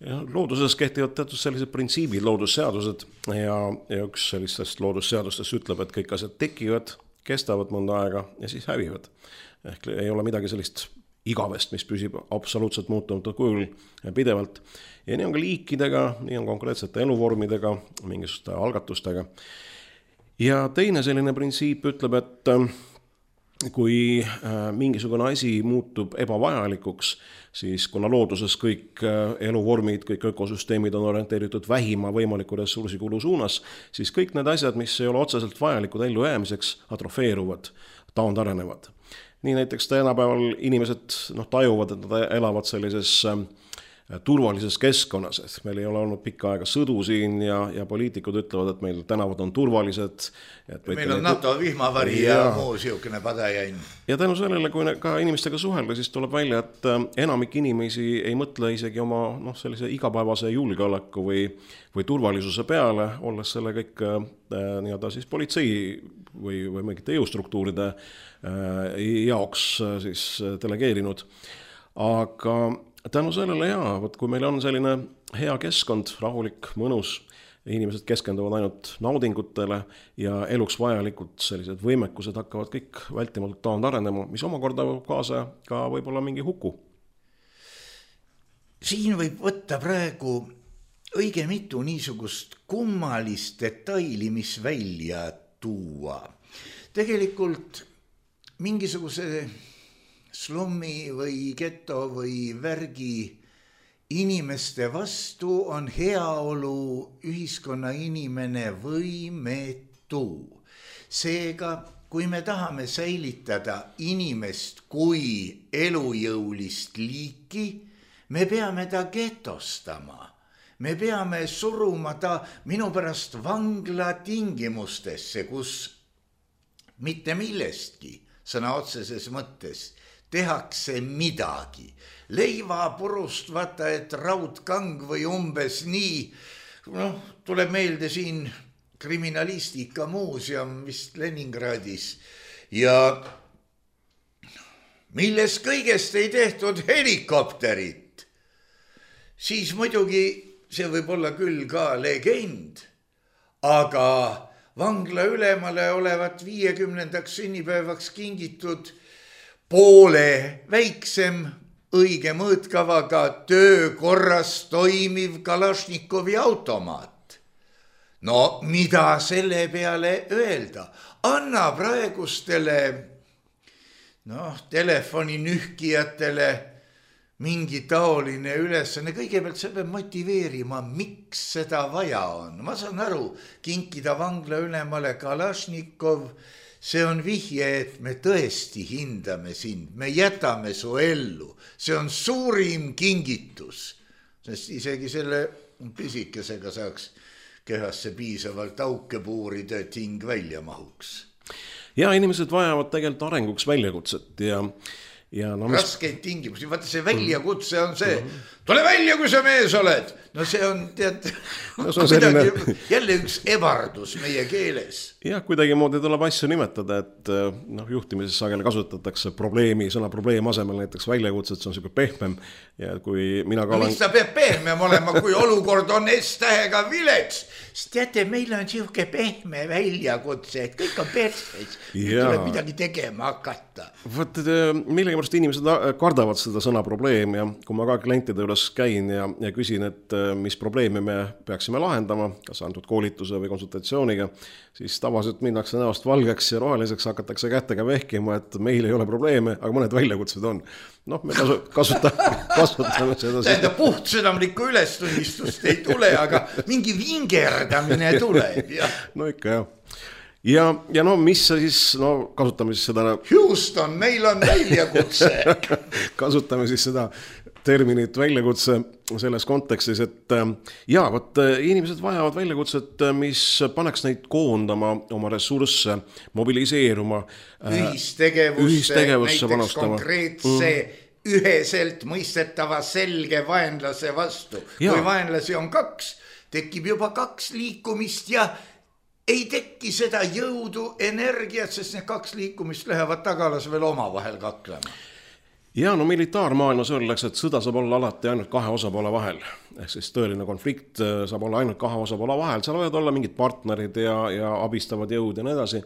Looduses kehtivad teatud sellised printsiibid, loodusseadused ja üks sellistest loodusseadustest ütleb, et kõik asjad tekivad, kestavad mõnda aega ja siis hävivad. Ehk ei ole midagi sellist igavest, mis püsib absoluutselt muutumatul kujul pidevalt. Ja nii on ka liikidega, nii on konkreetsete eluvormidega, mingisuguste algatustega. Ja teine selline printsiip ütleb, et kui mingisugune asi muutub ebavajalikuks, siis kuna looduses kõik eluvormid, kõik ökosüsteemid on orienteeritud vähima võimaliku ressursikulu suunas, siis kõik need asjad, mis ei ole otseselt vajalikud ellu jäämiseks, atrofeeruvad, taandarenevad. Nii näiteks tänapäeval inimesed tajuvad, et nad elavad sellises turvalises keskkonnas, et meil ei ole olnud pikka aega sõdu siin ja poliitikud ütlevad, et meil tänavad on turvalised. Meil on NATO vihmavari ja muu siukene padajain. Ja tänu sellele, kui ka inimestega suhelda, siis tuleb välja, et enamik inimesi ei mõtle isegi oma sellise igapäevase julgeoleku või turvalisuse peale, olles selle kõik nii-öelda siis politsei või mingite jõustruktuuride jaoks siis delegeerinud. Aga tänu sellele kui meil on selline hea keskkond, rahulik, mõnus, inimesed keskenduvad ainult naudingutele ja eluks vajalikud sellised võimekused hakkavad kõik vältimatult taandarenema, mis omakorda kaasa ka võib-olla mingi huku. Siin võib võtta praegu õige mitu niisugust kummalist detaili, mis välja tuua. Tegelikult mingisuguse slummi või geto või värgi inimeste vastu on heaolu ühiskonna inimene võimetu. Seega, kui me tahame säilitada inimest kui elujõulist liiki, me peame ta getostama. Me peame suruma ta minu pärast vangla tingimustesse, kus mitte millestki, sõna otseses mõttes, tehakse midagi. Leivapurust vaata, et raudkang või umbes nii. Tuleb meelde siin kriminalistika muuseum vist Leningradis. Ja milles kõigest ei tehtud helikopterit. Siis muidugi see võib olla küll ka legend, aga vangla ülemale olevat 50. sünnipäevaks kingitud poole väiksem õige mõõtkavaga töökorras toimiv Kalašnikovi automaat. No mida selle peale öelda? Anna praegustele telefoni nühkijatele mingi taoline ülesanne. Kõigepealt see peab motiveerima, miks seda vaja on. Ma saan aru, kinkida vangla ülemale Kalašnikov, see on vihje, et me tõesti hindame sind, me jätame su ellu. See on suurim kingitus, sest isegi selle pisikesega saaks kehasse piisavalt auke puurida, et hing välja mahuks. Ja inimesed vajavad tegelikult arenguks väljakutset ja raskeid tingimusi. Vaata see väljakutse on see, tule välja, kui sa mees oled. No see on, tead, jälle üks ebardus meie keeles. Jah, kuidagi moodi tuleb asju nimetada, et juhtimises sageli kasutatakse sõna probleem asemel näiteks väljakutset, see on selline pehmem. Ja kui mina ka olen... Mis ta peab pehmem olema, kui olukord on S-tähega vilets? Sest teate, meil on siuke pehme väljakutse, et kõik on perses. Tuleb midagi tegema hakata. Võt, millega pärast inimesed kardavad seda sõna probleem ja kui ma ka klientide üles käin ja küsin, et mis probleemi me peaksime lahendama, kas antud koolituse või konsultatsiooniga, siis tavaliselt minnakse näost valgeks ja roheliseks, hakatakse kättega vehkima, et meil ei ole probleeme, aga mõned väljakutsed on. Me kasutame seda. Tähendab, puhtsõnamlikku ülestunnistust ei tule, aga mingi vingerdamine tuleb. No ikka jah. Ja mis siis, kasutame siis seda... Houston, meil on väljakutse. Kasutame siis seda terminit väljakutse selles kontekstis, et inimesed vajavad väljakutset, mis paneks neid koondama oma ressursse, mobiliseeruma. Ühistegevusse näiteks konkreetse üheselt mõistetava selge vaenlase vastu. Kui vaenlasi on 2, tekib juba 2 liikumist ja ei tekki seda jõudu, energiat, sest need 2 liikumist lähevad tagalas veel omavahel kaklema. Ja militaarmaailmas öeldakse, et sõda saab olla alati ainult 2 osapoole vahel. Ehk siis tõeline konflikt saab olla ainult 2 osapoole vahel. Seal võivad olla mingid partnerid ja abistavad jõud ja nii edasi.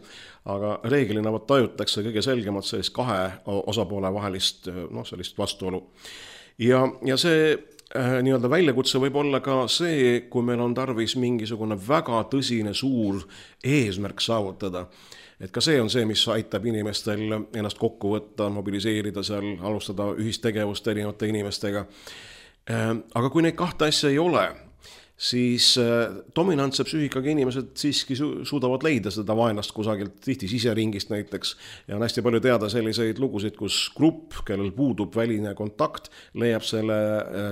Aga reeglina tajutakse kõige selgemalt sellist 2 osapoole vahelist sellist vastuolu. Ja see nii-öelda väljakutse võib olla ka see, kui meil on tarvis mingisugune väga tõsine suur eesmärk saavutada. Et ka see on see, mis aitab inimestel ennast kokku võtta, mobiliseerida seal, alustada ühistegevust erinevate inimestega. Aga kui neid 2 asja ei ole, siis dominantse psüühikaga inimesed siiski suudavad leida seda vaenlast kusagilt, tihti siseringist näiteks, ja on hästi palju teada selliseid lugusid, kus grupp, kellel puudub väline kontakt, leiab selle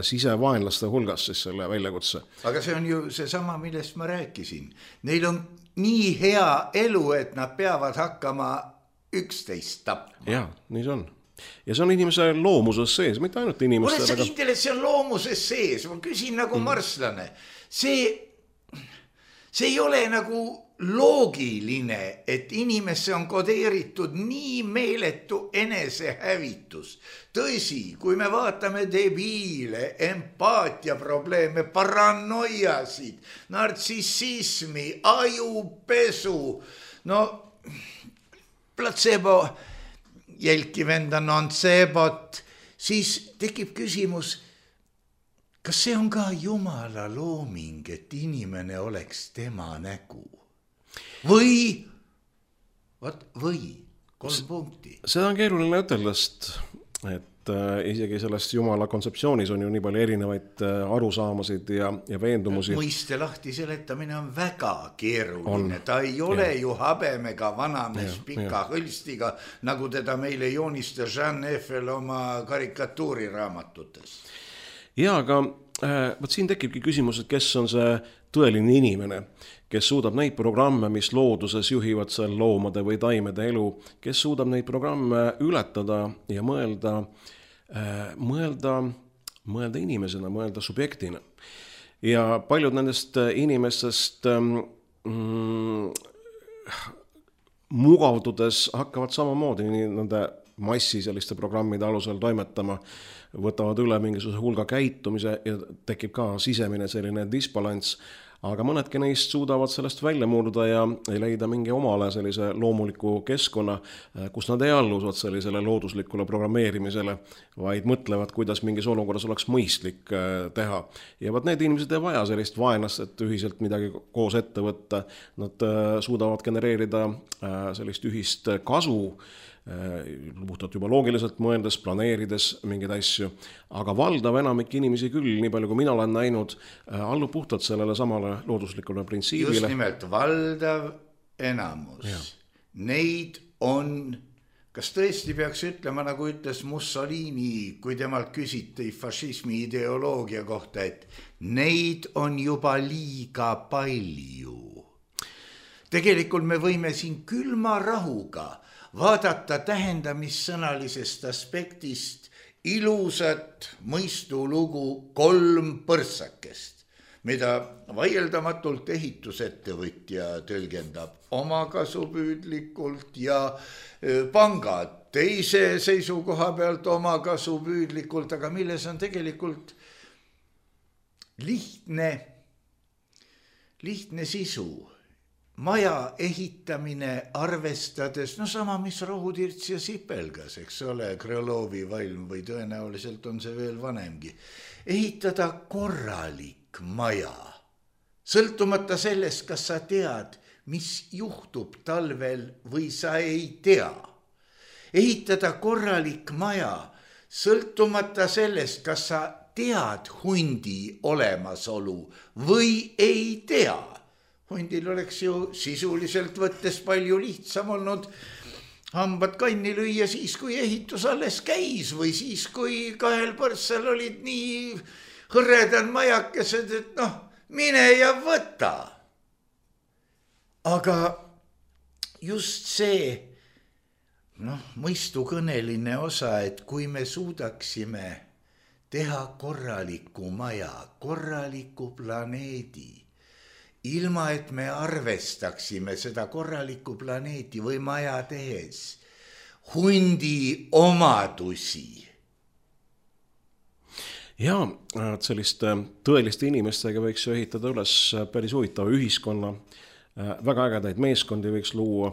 sisevaenlaste hulgas siis selle väljakutse. Aga see on ju seesama, millest ma rääkisin. Neil on nii hea elu, et nad peavad hakkama üksteist tapma. Jaa, nii see on. Ja see on inimese loomuses sees, mitte ainult inimestel. Oled sa kindel, et see on loomuses sees? Ma küsin nagu marslane. See ei ole nagu loogiline, et inimesse on kodeeritud nii meeletu enesehävitus. Tõsi, kui me vaatame debiile, empaatiaprobleeme, paranoiasid, nartsissismi, ajupesu, no placebo jälki venda nonsebot, siis tekib küsimus, kas see on ka Jumala looming, et inimene oleks tema nägu? Või 3 punkti. Seda on keeruline ütelest, et isegi sellest Jumala kontseptsioonis on ju nii palju erinevaid arusaamasid ja veendumusi. Mõiste lahti seletamine on väga keeruline. Ta ei ole ju habemega vanamees pika hõlstiga, nagu teda meile joonistas Jean Eiffel oma karikatuuriraamatutes. Ja, aga siin tekibki küsimus, et kes on see tõeline inimene, kes suudab neid programme, mis looduses juhivad seal loomade või taimede elu, kes suudab neid programme ületada ja mõelda inimesena, mõelda subjektina. Ja paljud nendest inimestest mugavdudes hakkavad samamoodi nende massi selliste programmide alusel toimetama, võtavad üle mingisuguse hulga käitumise ja tekib ka sisemine selline disbalans, aga mõnedki neist suudavad sellest välja murda ja leida mingi omale sellise loomuliku keskkonna, kus nad ei alluvad sellisele looduslikule programmeerimisele, vaid mõtlevad, kuidas mingis olukorras oleks mõistlik teha. Ja vaat need inimesed ei vaja sellist vaenlast, et ühiselt midagi koos ette võtta. Nad suudavad genereerida sellist ühist kasu, puhtalt juba loogiliselt mõeldes, planeerides mingeid asju, aga valdav enamik inimesi küll, nii palju kui mina olen näinud, allub puhtalt sellele samale looduslikule printsiibile. Just nimelt, valdav enamus. Ja. Neid on, kas tõesti peaks ütlema, nagu ütles Mussolini, kui temalt küsiti fašismi ideoloogia kohta, et neid on juba liiga palju. Tegelikult me võime siin külma rahuga vaadata tähendamissõnalisest aspektist ilusat mõistulugu 3 põrsakest, mida vaieldamatult ehitusettevõtja tõlgendab omakasupüüdlikult ja pangad teise seisukoha pealt omakasupüüdlikult, aga milles on tegelikult lihtne sisu. Maja ehitamine arvestades, no sama mis Rohutirts ja Sipelgas, eks ole, Krõlovi valm või tõenäoliselt on see veel vanemgi. Ehitada korralik maja, sõltumata sellest, kas sa tead, mis juhtub talvel või sa ei tea. Ehitada korralik maja, sõltumata sellest, kas sa tead hundi olemasolu või ei tea. Hundil oleks ju sisuliselt võttes palju lihtsam olnud hambad kanni lüüa siis, kui ehitus alles käis või siis, kui 2 põrsal olid nii hõredad majakesed, et mine ja võta. Aga just see mõistukõneline osa, et kui me suudaksime teha korraliku maja, korraliku planeedi, ilma et me arvestaksime seda korralikku planeeti või maja tehes hundi omadusi. Ja selliste tõeliste inimestega võiks ju ehitada üles päris huvitava ühiskonna, väga ägedaid meeskondi võiks luua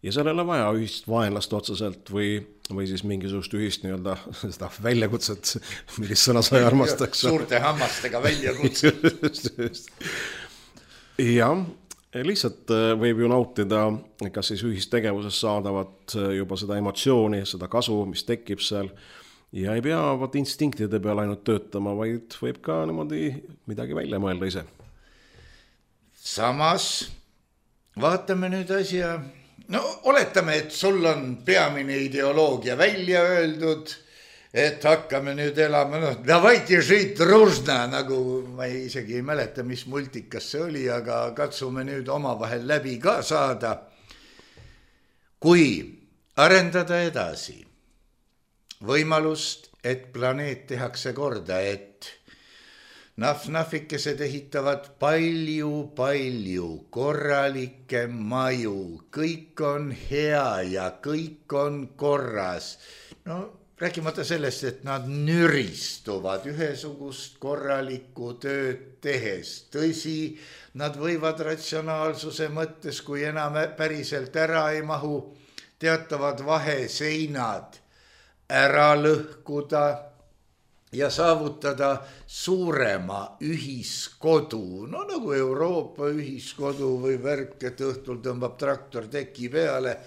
ja sellele vaja ühist vaenlast otseselt või siis mingisugust ühist nii-öelda seda väljakutset, millist sõna sa armastaks. Suurte hammastega väljakutset. Ja, lihtsalt võib ju nautida, kas siis ühistegevuses saadavat juba seda emotsiooni, seda kasu, mis tekib seal ja ei pea instinktide peal ainult töötama, vaid võib ka niimoodi midagi välja mõelda ise. samas vaatame nüüd asja, no oletame, et sul on peamine ideoloogia välja öeldud, et hakkame nüüd elama, noh, davайте žить дружно, nagu ma isegi ei mäleta, mis multikas see oli, aga katsume nüüd omavahel läbi ka saada. Kui arendada edasi võimalust, et planeet tehakse korda, et nahvikesed ehitavad palju korralikke maju, kõik on hea ja kõik on korras. No rääkimata sellest, et nad nüristuvad ühesugust korralikku tööd tehes. Tõsi, nad võivad ratsionaalsuse mõttes, kui enam päriselt ära ei mahu, teatavad vaheseinad ära lõhkuda ja saavutada suurema ühiskodu. No nagu Euroopa ühiskodu või värk, et õhtul tõmbab traktor teki peale.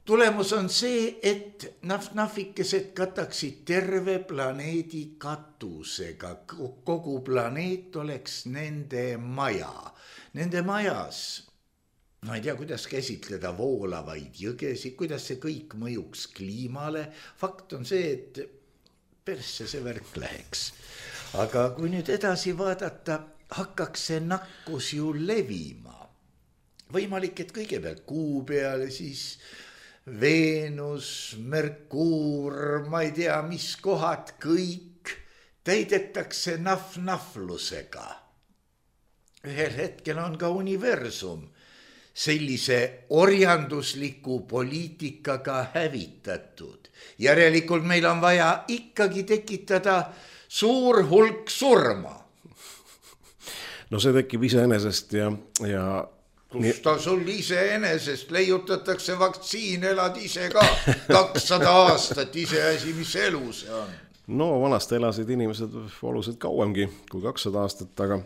Tulemus on see, et nahvikesed kataksid terve planeedi katusega. Kogu planeet oleks nende maja. Nende majas, ma ei tea, kuidas käsitleda voolavaid jõgesid, kuidas see kõik mõjuks kliimale. Fakt on see, et persse see värk läheks. Aga kui nüüd edasi vaadata, hakkaks see nakkus ju levima. Võimalik, et kõigepealt Kuu peale, siis Veenus, Merkuur, ma ei tea, mis kohad, kõik täidetakse nahvlusega. Ühel hetkel on ka universum sellise orjandusliku poliitikaga hävitatud. Järelikult meil on vaja ikkagi tekitada suur hulk surma. No see tekib iseenesest ja Kus ta sul iseenesest leiutatakse vaktsiin, elad ise ka 200 aastat iseasi, mis elu see on. No vanasti elasid inimesed oluliselt kauemgi kui 200 aastat, aga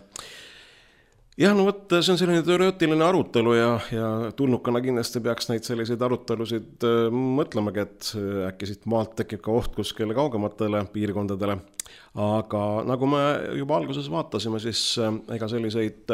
jah, no võt, see on selline teoreetiline arutelu ja tulnukana kindlasti peaks neid selliseid arutelusid mõtlemagi, et äkki siit maalt tekib ka oht kuskile kaugematele piirkondadele. Aga nagu me juba alguses vaatasime, siis ega selliseid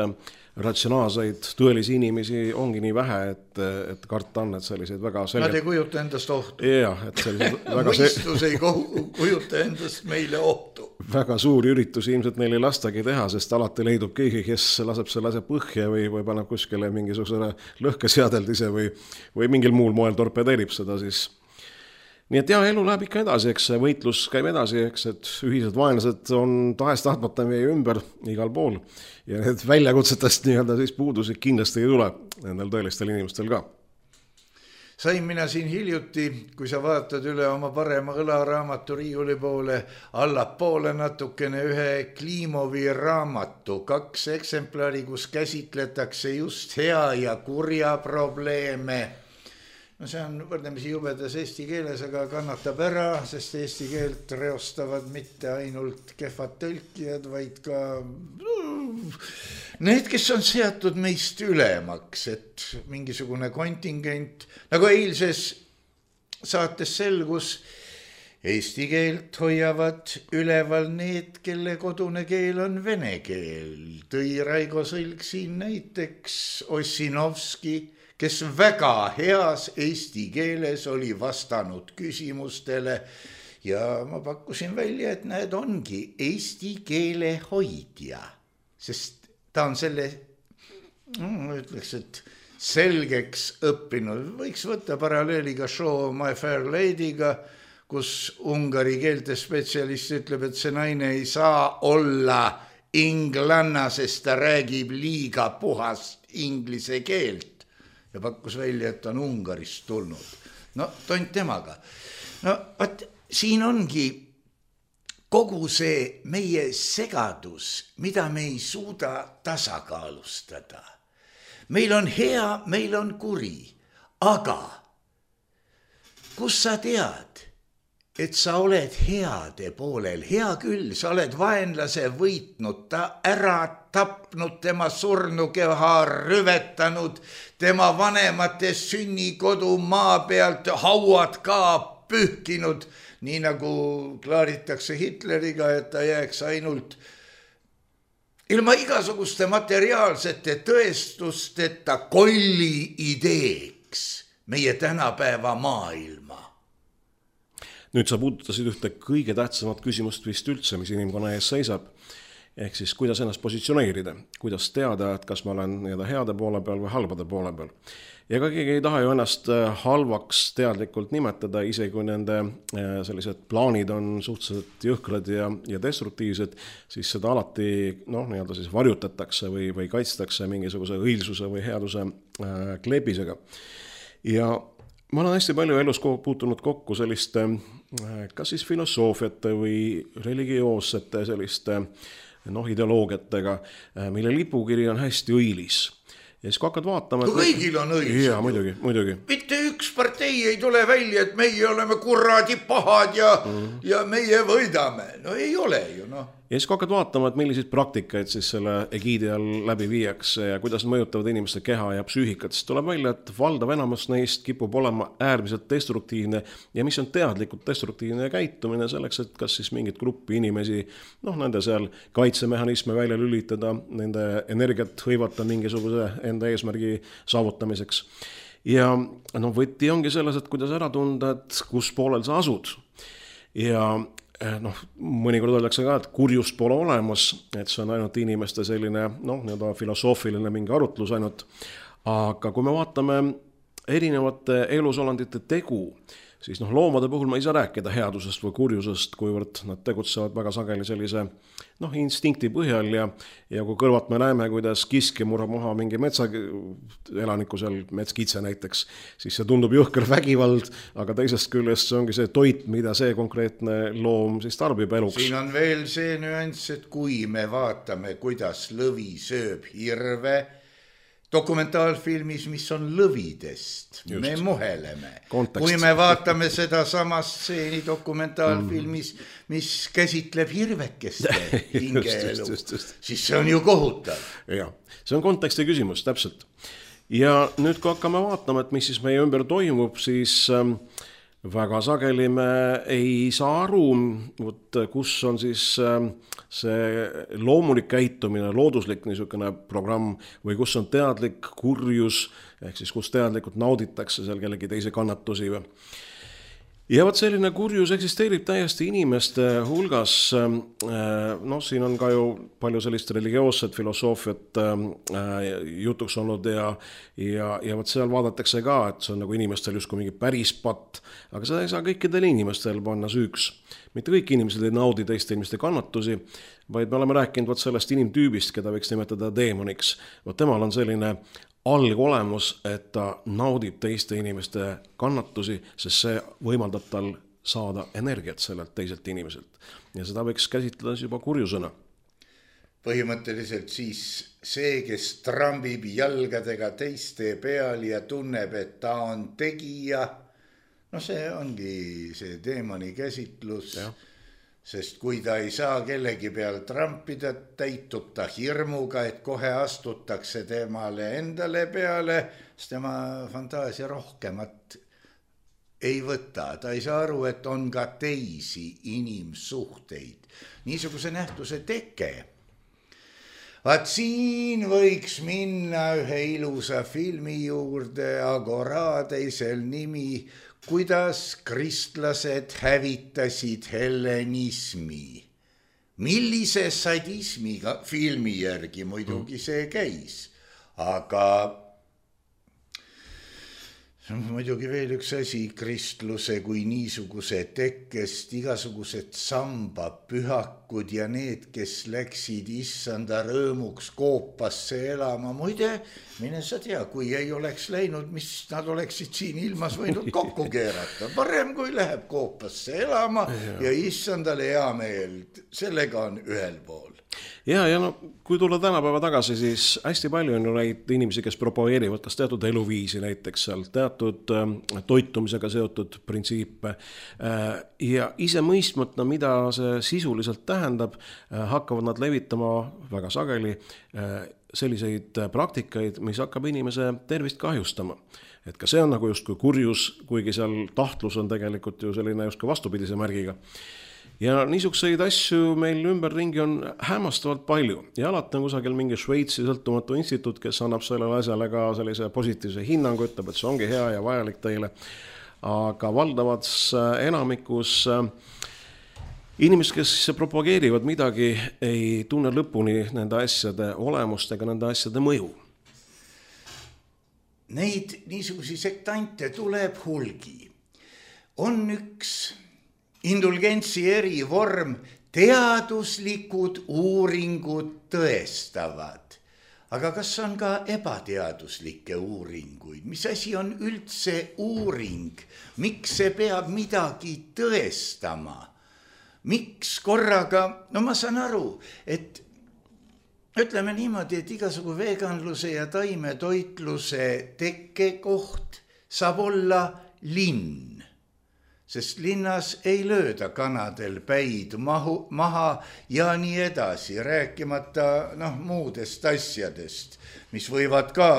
ratsionaalseid tõelisi inimesi ongi nii vähe, et karta on, et selliseid väga selgelt... Nad ei kujuta endast ohtu. Jah, et selliseid väga... Mõistus ei kujuta endast meile ohtu. Väga suuri üritusi ilmselt neil ei lastagi teha, sest alati leidub keegi, kes laseb selle asja põhja või paneb kuskile mingisugusele lõhkeseadeldise või mingil muul moel torpedeerib seda siis. Nii et jah, elu läheb ikka edasi, eks see võitlus käib edasi, eks, et ühised vaenlased on tahes-tahtmata meie ümber igal pool ja need väljakutsetest nii-öelda siis puudusid kindlasti ei tule nendel tõelistel inimestel ka. Sain mina siin hiljuti, kui sa vaatad üle oma parema õlaraamatu riiuli poole, allapoole natukene ühe Klimovi raamatu, 2 eksemplari, kus käsitletakse just hea ja kurja probleeme. No see on võrdlemisi jubedas eesti keeles, aga kannatab ära, sest eesti keelt reostavad mitte ainult kehvad tõlkijad, vaid ka need, kes on seatud meist ülemaks, et mingisugune kontingent, nagu eilses saates selgus, eesti keelt hoiavad üleval need, kelle kodune keel on vene keel. Tõi Raigo Sõlg siin näiteks Ossinovski, kes väga heas eesti keeles oli vastanud küsimustele ja ma pakkusin välja, et näed, ongi eesti keele hoidja, sest ta on selle, ütleks, et selgeks õppinud. Võiks võtta paralleeliga show My Fair Lady'ga, kus ungari keelte spetsialist ütleb, et see naine ei saa olla inglanna, sest ta räägib liiga puhast inglise keelt. Ja pakkus välja, et on Ungarist tulnud. No, tont temaga. No, siin ongi kogu see meie segadus, mida me ei suuda tasakaalustada. Meil on hea, meil on kuri, aga kus sa tead, et sa oled heade poolel? Hea küll, sa oled vaenlase võitnud, ta ära tapnud, tema surnukeha rüvetanud, tema vanemate sünnikodu maa pealt hauad ka pühkinud, nii nagu klaaritakse Hitleriga, et ta jääks ainult ilma igasuguste materiaalsete tõestusteta kolli ideeks meie tänapäeva maailma. Nüüd sa puudutasid ühte kõige tähtsamat küsimust vist üldse, mis inimkonna ees seisab. Ehk siis, kuidas ennast positsioneerida, kuidas teada, et kas ma olen heade poole peal või halbade poole peal. Ja ka keegi ei taha ju ennast halvaks teadlikult nimetada, isegi kui nende sellised plaanid on suhteliselt jõhkrad ja destruktiivsed, siis seda alati siis varjutatakse või kaitstakse mingisuguse õilsuse või headuse kleebisega. Ja ma olen hästi palju elus puutunud kokku selliste kas siis filosoofiate või religioossete selliste ideoloogiatega, mille lipukiri on hästi õilis. Ja siis kui hakkad vaatama... Kõigil on õilis. Jaa, muidugi. Mitte üks partei ei tule välja, et meie oleme kuradi pahad ja meie võidame. No ei ole ju, Ja siis kui hakkad vaatama, et milliseid praktikaid siis selle egiidi all läbi viiakse ja kuidas mõjutavad inimeste keha ja psüühikat, siis tuleb välja, et valdav enamus neist kipub olema äärmiselt destruktiivne ja mis on teadlikult destruktiivne käitumine selleks, et kas siis mingit gruppi inimesi, nende seal kaitsemehhanisme välja lülitada, nende energiat hõivata mingisuguse enda eesmärgi saavutamiseks. Ja võti ongi selles, et kuidas ära tunda, et kus poolel sa asud. Ja mõnikord öeldakse ka, et kurjust pole olemas, et see on ainult inimeste selline filosoofiline mingi arutlus ainult, aga kui me vaatame erinevate elusolendite tegu, siis loomade puhul ma ei saa rääkida headusest või kurjusest, kuivõrd nad tegutsevad väga sageli sellise instinkti põhjal ja kui kõrvat me näeme, kuidas kiski murrab maha mingi metsaelaniku seal, metskitse näiteks, siis see tundub jõhker vägivald, aga teisest küljest see ongi see toit, mida see konkreetne loom siis tarbib eluks. Siin on veel see nüanss, et kui me vaatame, kuidas lõvi sööb hirve, dokumentaalfilmis, mis on lõvidest, me muheleme. Kontekst. Kui me vaatame seda samast stseeni dokumentaalfilmis, mis käsitleb hirvekeste hingeelu, siis see on ju kohutav. Ja, see on konteksti küsimus, täpselt. Ja nüüd kui hakkame vaatama, et mis siis meie ümber toimub, siis väga sageli me ei saa aru, kus on siis see loomulik käitumine, looduslik niisugune programm või kus on teadlik kurjus, ehk siis kus teadlikult nauditakse seal kellegi teise kannatusi. Ja selline kurjus eksisteerib täiesti inimeste hulgas, siin on ka ju palju sellist religioosset filosoofiat jutuks olnud ja seal vaadatakse ka, et see on nagu inimestel justkui mingi päris patt, aga seda ei saa kõikidel inimestel panna süüks. Mitte kõik inimesed ei naudi teiste inimeste kannatusi, vaid me oleme rääkinud sellest inimtüübist, keda võiks nimetada deemoniks. Temal on selline algolemus, et ta naudib teiste inimeste kannatusi, sest see võimaldab tal saada energiat sellelt teiselt inimeselt. Ja seda võiks käsitleda juba kurjusena. Põhimõtteliselt siis see, kes trambib jalgadega teiste peal ja tunneb, et ta on tegija, see ongi see deemoni käsitlus. Ja. Sest kui ta ei saa kellegi peal trampida, täitub ta hirmuga, et kohe astutakse temale endale peale, sest tema fantaasia rohkemat ei võta. Ta ei saa aru, et on ka teisi inimsuhteid. Niisuguse nähtuse teke. Vaat siin võiks minna ühe ilusa filmi juurde, Agoradeisel nimi, kuidas kristlased hävitasid hellenismi. Millise sadismiga filmi järgi muidugi see käis, aga muidugi veel üks asi, kristluse kui niisuguse tekkest igasugused sambapühakud ja need, kes läksid issanda rõõmuks koopasse elama. Muide, mine sa tea, kui ei oleks läinud, mis nad oleksid siin ilmas võinud kokku keerata. Parem kui läheb koopasse elama ja issandale hea meel, sellega on ühel pool. Ja kui tulla tänapäeva tagasi, siis hästi palju on ju neid inimesi, kes propageerivad kas teatud eluviisi näiteks seal, teatud toitumisega seotud printsiipe ja ise mõistmata, mida see sisuliselt tähendab, hakkavad nad levitama väga sageli selliseid praktikaid, mis hakkab inimese tervist kahjustama. Et ka see on nagu justkui kurjus, kuigi seal tahtlus on tegelikult ju selline justkui vastupidise märgiga. Ja niisuguseid asju meil ümberringi on hämmastavalt palju ja alati on kusagil mingi Šveitsi sõltumatu instituut, kes annab sellele asjale ka sellise positiivse hinnangu, ütleb, et see ongi hea ja vajalik teile. Aga valdavas enamikus inimesed, kes propageerivad midagi, ei tunne lõpuni nende asjade olemust ega nende asjade mõju. Neid niisugusi sektante tuleb hulgi. On üks indulgentsi erivorm, teaduslikud uuringud tõestavad. Aga kas on ka ebateaduslikke uuringuid? Mis asi on üldse uuring? Miks see peab midagi tõestama? Miks korraga? No ma saan aru, et ütleme niimoodi, et igasugu veganluse ja taimetoitluse tekkekoht saab olla linn. Sest linnas ei lööda kanadel päid maha ja nii edasi, rääkimata muudest asjadest, mis võivad ka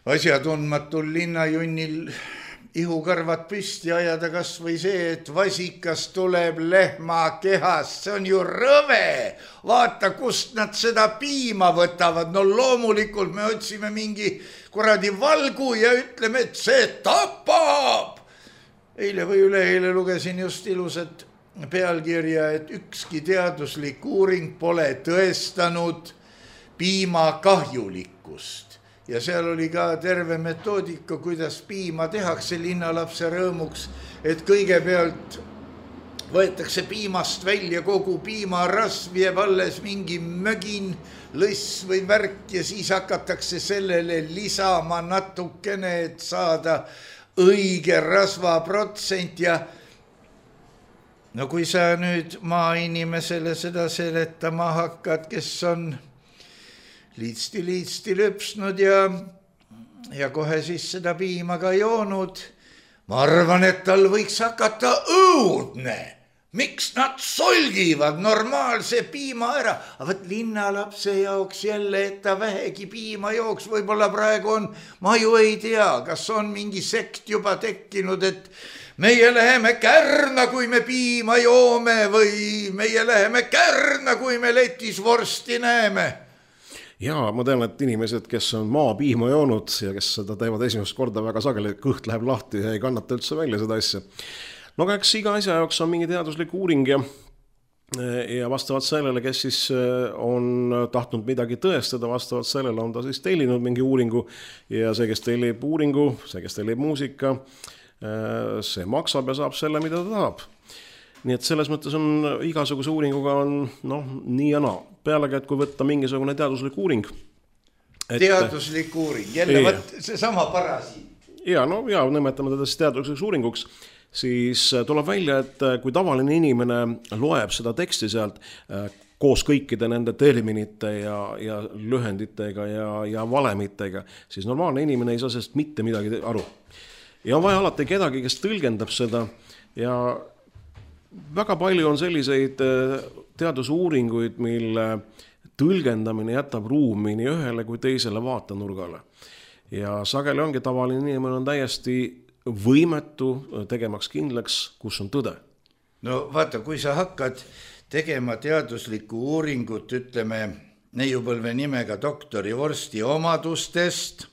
asjatundmatul linnajunnil ihukarvad püsti ajada, kas või see, et vasikas tuleb lehma kehast, see on ju rõve, vaata, kust nad seda piima võtavad, no loomulikult me otsime mingi kuradi valgu ja ütleme, et see tapab. Eile või üleeile lugesin just ilusat pealkirja, et ükski teaduslik uuring pole tõestanud piima kahjulikkust. Ja seal oli ka terve metoodika, kuidas piima tehakse linnalapse rõõmuks, et kõigepealt võetakse piimast välja kogu piimarasv, jääb alles mingi mögin, lõss või värk ja siis hakatakse sellele lisama natukene, et saada õige rasvaprotsent ja no kui sa nüüd maainimesele seda seletama hakkad, kes on liitsti lõpsnud ja kohe siis seda piima ka joonud, ma arvan, et tal võiks hakata õudne. Miks nad solgivad normaalse piima ära? Aga võt linnalapse jaoks jälle, et ta vähegi piima jooks, võib-olla praegu on, ma ju ei tea, kas on mingi sekt juba tekkinud, et meie läheme Kärna, kui me piima joome või meie läheme Kärna, kui me letis vorsti näeme. Jaa, ma tean, et inimesed, kes on maapiima joonud ja kes seda teevad esimest korda väga sageli, kõht läheb lahti ja ei kannata üldse välja seda asja. No aga eks iga asja jaoks on mingi teaduslik uuring ja vastavalt sellele, kes siis on tahtnud midagi tõestada, vastavalt sellele on ta siis tellinud mingi uuringu ja see, kes tellib uuringu, see, kes tellib muusika, see maksab ja saab selle, mida ta tahab. Nii et selles mõttes on igasuguse uuringuga on nii ja naa. Pealegi, et kui võtta mingisugune teaduslik uuring. Teaduslik uuring, jälle võt see sama parasiit. Ja nimetame teda siis teadusliks uuringuks. Siis tuleb välja, et kui tavaline inimene loeb seda teksti sealt koos kõikide nende terminite ja lühenditega ja valemitega, siis normaalne inimene ei saa sellest mitte midagi aru. Ja on vaja alati kedagi, kes tõlgendab seda ja väga palju on selliseid teadusuuringuid, mille tõlgendamine jätab ruumi nii ühele kui teisele vaatenurgale. Ja sageli ongi tavaline inimene on täiesti võimetu tegemaks kindlaks, kus on tõde. No vaata, kui sa hakkad tegema teaduslikku uuringut, ütleme neiupõlve nimega doktori vorsti omadustest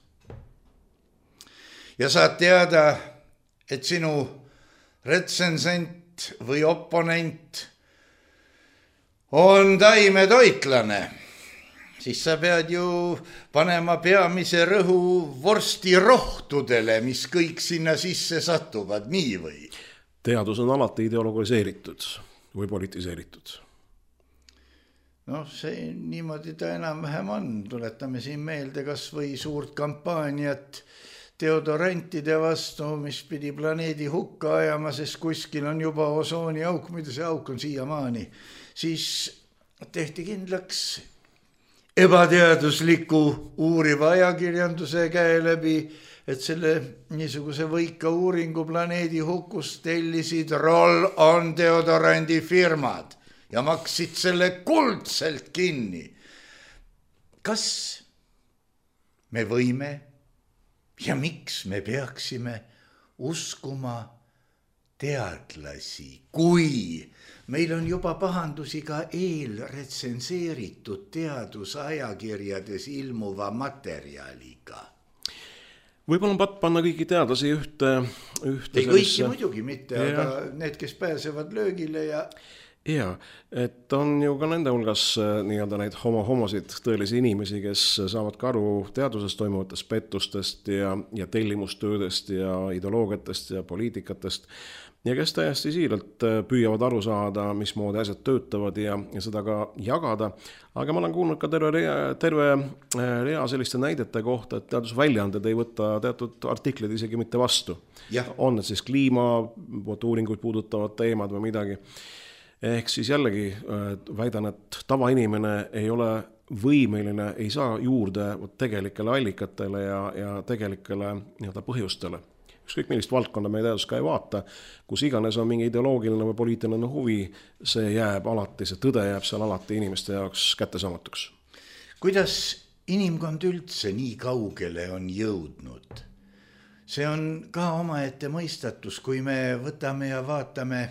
ja saad teada, et sinu retsensent või oponent on taimetoitlane, siis sa pead ju panema peamise rõhu vorstirohtudele, mis kõik sinna sisse satuvad, nii või? Teadus on alati ideologiseeritud või politiseeritud. No see niimoodi ta enam-vähem on. Tuletame siin meelde kas või suurt kampaaniat deodorantide vastu, mis pidi planeedi hukka ajama, sest kuskil on juba osooni auk, mida see auk on siiamaani. Siis tehti kindlaks ebateadusliku uuriva ajakirjanduse käe läbi, et selle niisuguse võika uuringu planeedi hukust tellisid roll-on deodorandi firmad ja maksid selle kuldselt kinni. Kas me võime ja miks me peaksime uskuma teadlasi, kui meil on juba pahandusi ka eelretsenseeritud teadusajakirjades ilmuva materjaliga. Võib-olla on panna kõiki teadlasi ühte ei kõiki muidugi mitte, aga need, kes pääsevad löögile ja... Ja, et on ju ka nende hulgas nii-öelda neid homosid tõelisi inimesi, kes saavad ka aru teaduses toimuvatest pettustest ja tellimustöödest ja ideoloogiatest ja poliitikatest ja kes täiesti siiralt püüavad aru saada, mismoodi asjad töötavad ja seda ka jagada. Aga ma olen kuulnud ka terve rea selliste näidete kohta, et teadusväljaanded ei võta teatud artiklid isegi mitte vastu. On need siis kliimauuringuid puudutavad teemad või midagi. Ehk siis jällegi väidan, et tavainimene ei ole võimeline, ei saa juurde tegelikele allikatele ja tegelikele nii-öelda põhjustele. Ükskõik millist valdkonda meie teadus ka ei vaata, kus iganes on mingi ideoloogiline või poliitiline huvi, see jääb alati, see tõde jääb seal alati inimeste jaoks kättesaamatuks. Kuidas inimkond üldse nii kaugele on jõudnud? See on ka omaette mõistatus, kui me võtame ja vaatame,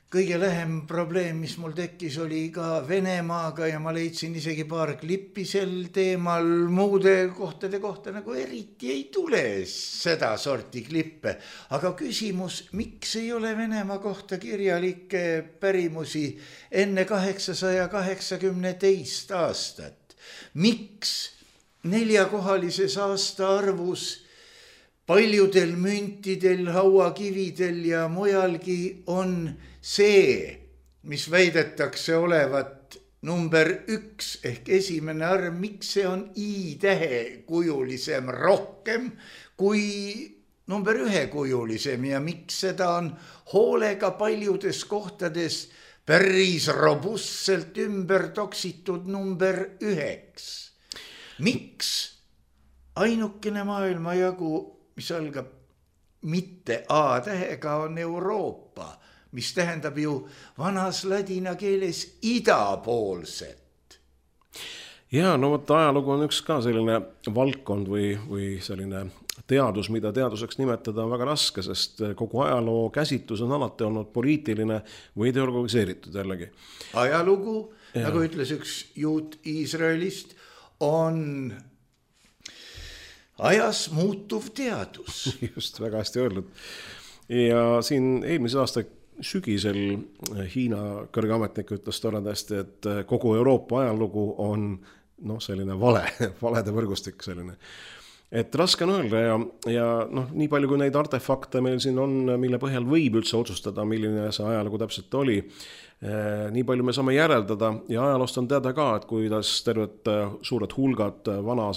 kõige lähem probleem, mis mul tekkis, oli ka Venemaaga ja ma leidsin isegi paar klippi sel teemal, muude kohtade kohta nagu eriti ei tule seda sorti klippe. Aga küsimus, miks ei ole Venemaa kohta kirjalikke pärimusi enne 882 aastat? Miks 4-kohalises aastaarvus paljudel müntidel, hauakividel ja mujalgi on see, mis väidetakse olevat number 1 ehk esimene arv, miks see on I-tähe kujulisem rohkem kui number 1 kujulisem ja miks seda on hoolega paljudes kohtades päris robustselt ümber toksitud number 9. Miks ainukene maailmajagu, mis algab mitte A-tähega, on Euroopa, mis tähendab ju vanas ladina keeles idapoolset. Ja, ajalugu on üks ka selline valdkond või selline teadus, mida teaduseks nimetada on väga raske, sest kogu ajaloo käsitlus on alati olnud poliitiline või ideologiseeritud jällegi. Ajalugu, nagu ütles üks juut Iisraelist, on ajas muutuv teadus. Just, väga hästi öeldud. Ja siin eelmise aasta sügisel Hiina kõrge ametnik ütles toredasti, et kogu Euroopa ajalugu on selline valede võrgustik selline. Et raske on öelda ja nii palju kui neid artefakte meil siin on, mille põhjal võib üldse otsustada, milline see ajalugu täpselt oli, nii palju me saame järeldada ja ajaloost on teada ka, et kuidas terved suured hulgad vana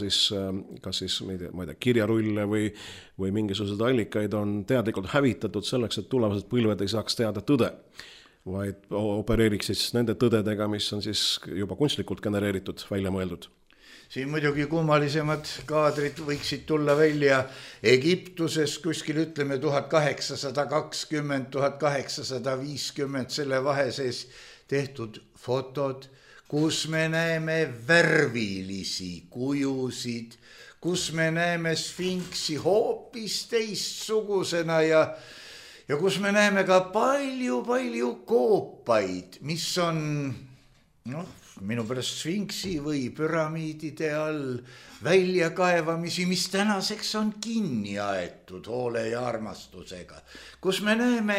kas ma ei tea, kirjarulle või mingisuguseid allikaid on teadlikult hävitatud selleks, et tulevased põlved ei saaks teada tõde, vaid opereeriks siis nende tõdedega, mis on siis juba kunstlikult genereeritud, välja mõeldud. Siin muidugi kummalisemad kaadrid võiksid tulla välja Egiptuses kuskil ütleme 1820, 1850 selle vaheses tehtud fotod, kus me näeme värvilisi kujusid, kus me näeme sfinksi hoopis teistsugusena ja kus me näeme ka palju koopaid, mis on minu pärast sfinksi või püramiidide all väljakaevamisi, mis tänaseks on kinni aetud hoole ja armastusega, kus me näeme,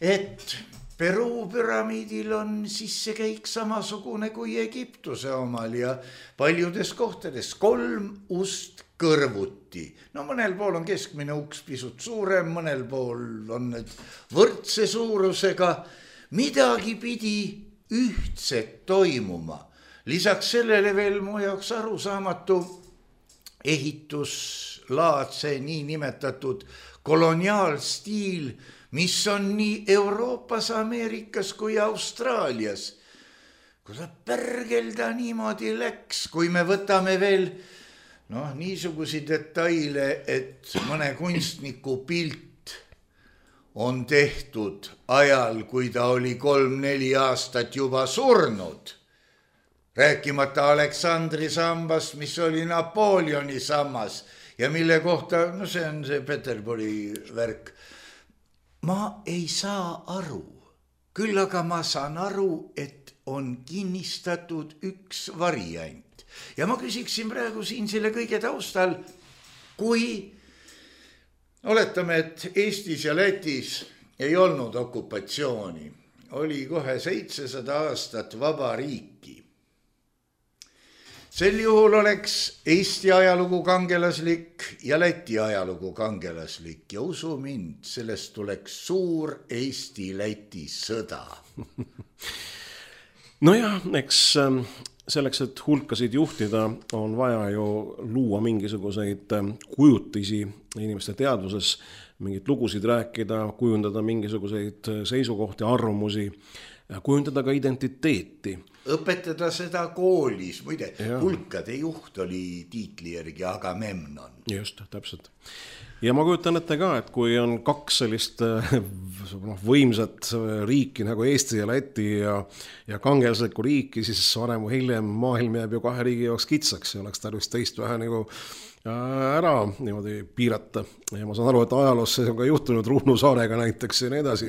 et Peruu püramiidil on sissekäik samasugune kui Egiptuse omal ja paljudes kohtades 3 ust kõrvuti. Mõnel pool on keskmine uks pisut suurem, mõnel pool on need võrdse suurusega, midagi pidi ühtset toimuma. Lisaks sellele veel mu jaoks arusaamatu ehituslaadse nii nimetatud koloniaalstiil, mis on nii Euroopas, Ameerikas kui Austraalias. Kuule pärgelda niimoodi läks, kui me võtame veel niisugusi detaile, et mõne kunstniku pilt on tehtud ajal, kui ta oli 3-4 aastat juba surnud. Rääkimata Aleksandri sambast, mis oli Napoleoni sammas ja mille kohta, see on see Peterburi värk, ma ei saa aru. Küll aga ma saan aru, et on kinnistatud üks variant. Ja ma küsiksin praegu siin selle kõige taustal, kui oletame, et Eestis ja Lätis ei olnud okupatsiooni, oli kohe 700 aastat vaba riiki. Sel juhul oleks Eesti ajalugu kangelaslik ja Läti ajalugu kangelaslik ja usu mind, sellest tuleks suur Eesti-Läti sõda. Nojah, eks selleks, et hulkasid juhtida, on vaja ju luua mingisuguseid kujutisi inimeste teadvuses, mingid lugusid rääkida, kujundada mingisuguseid seisukohti, arvamusi, kujundada ka identiteeti. Õpetada seda koolis, muide, hulkade juht oli tiitli järgi Agamemnon. Just, täpselt. Ja ma kujutan ette ka, et kui on kaks sellist võimsat riiki nagu Eesti ja Läti ja kangelaslikku riiki, siis varem või hiljem maailm jääb ju kahe riigi jaoks kitsaks ja oleks tarvis teist vähe nagu ära niimoodi piirata. Ja ma saan aru, et ajaloos see on ka juhtunud Ruhnu saarega näiteks ja nii edasi.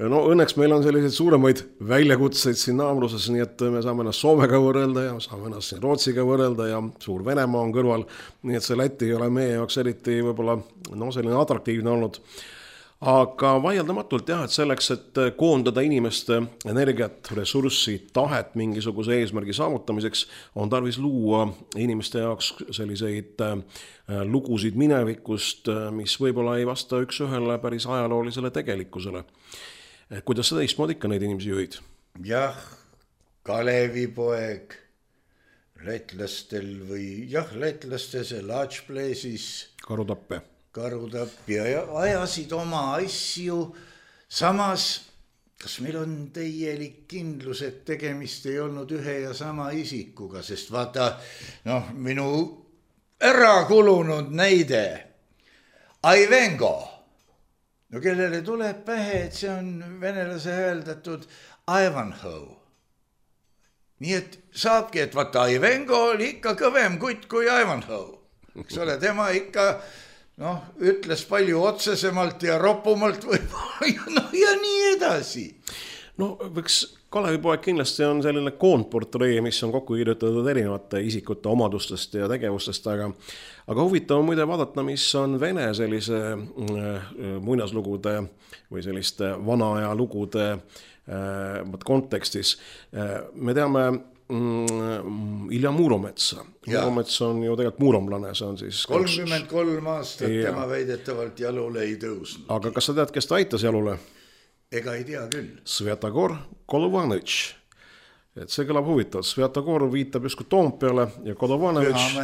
No õnneks meil on selliseid suuremaid väljakutseid siin naabruses, nii et me saame ennast Soomega võrrelda ja saame ennast siin Rootsiga võrrelda ja suur Venemaa on kõrval. Nii et see Läti ei ole meie jaoks eriti võib-olla selline atraktiivne olnud. Aga vaieldamatult jah, et selleks, et koondada inimeste energiat, ressurssi, tahet mingisuguse eesmärgi saavutamiseks, on tarvis luua inimeste jaoks selliseid lugusid minevikust, mis võib-olla ei vasta üks ühele päris ajaloolisele tegelikkusele. Kuidas sa teistmoodi ikka neid inimesi juhid? Jah, Kalevipoeg lätlastel või lätlaste see Laatšpleesis Karutapp ja ajasid oma asju. Samas, kas meil on täielik kindlus, et tegemist ei olnud ühe ja sama isikuga, sest vaata, minu ära kulunud näide, Aivengo, kellele tuleb pähe, et see on venelase hääldatud Ivanhoe. Nii et saabki, et vaata, Aivengo oli ikka kõvem kutt kui Ivanhoe. Eks ole, tema ikka ütles palju otsesemalt ja roppumalt võib-olla ja nii edasi. Võiks Kalevipoeg kindlasti on selline koondportree, mis on kokku kirjutatud erinevate isikute omadustest ja tegevustest, aga huvitav on muide vaadata, mis on Vene sellise muinaslugude või selliste vana aja lugude kontekstis. Me teame Ilja Muurometsa. Muuromets on ju tegelikult muuromlane, see on siis 33 aastat tema väidetavalt jalule ei tõusnud. Aga kas sa tead, kes ta aitas jalule? Ega ei tea küll. Sviatogor Kolovanõtš. Et see kõlab huvitavalt. Sviatogor viitab justkui Toompeale ja Kolovanõtš,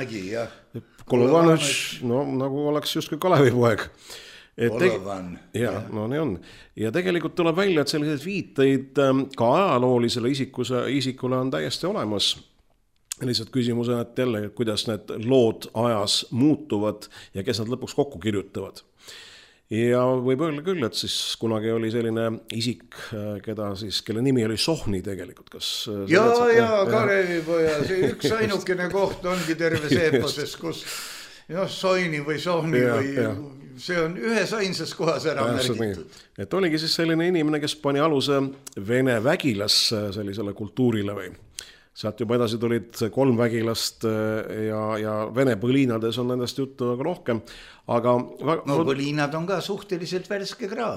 nagu oleks justkui Kalevipoeg. Kolovan. Nii on. Ja tegelikult tuleb välja, et selliseid viiteid ka ajaloolisele isikule on täiesti olemas. Lihtsalt küsimus on, et jälle, kuidas need lood ajas muutuvad ja kes nad lõpuks kokku kirjutavad. Ja võib öelda küll, et siis kunagi oli selline isik, kelle nimi oli Sohni tegelikult. Kalevipoja, see üks ainukene koht ongi terves eeposes, kus Soini või Sohni või see on ühes ainsas kohas ära märgitud. Et oligi siis selline inimene, kes pani aluse Vene vägilas sellisele kultuurile või. Sealt juba edasi tulid 3 vägilast ja Vene põliinades on nendest juttu väga rohkem. Põliinad on ka suhteliselt värske kraam.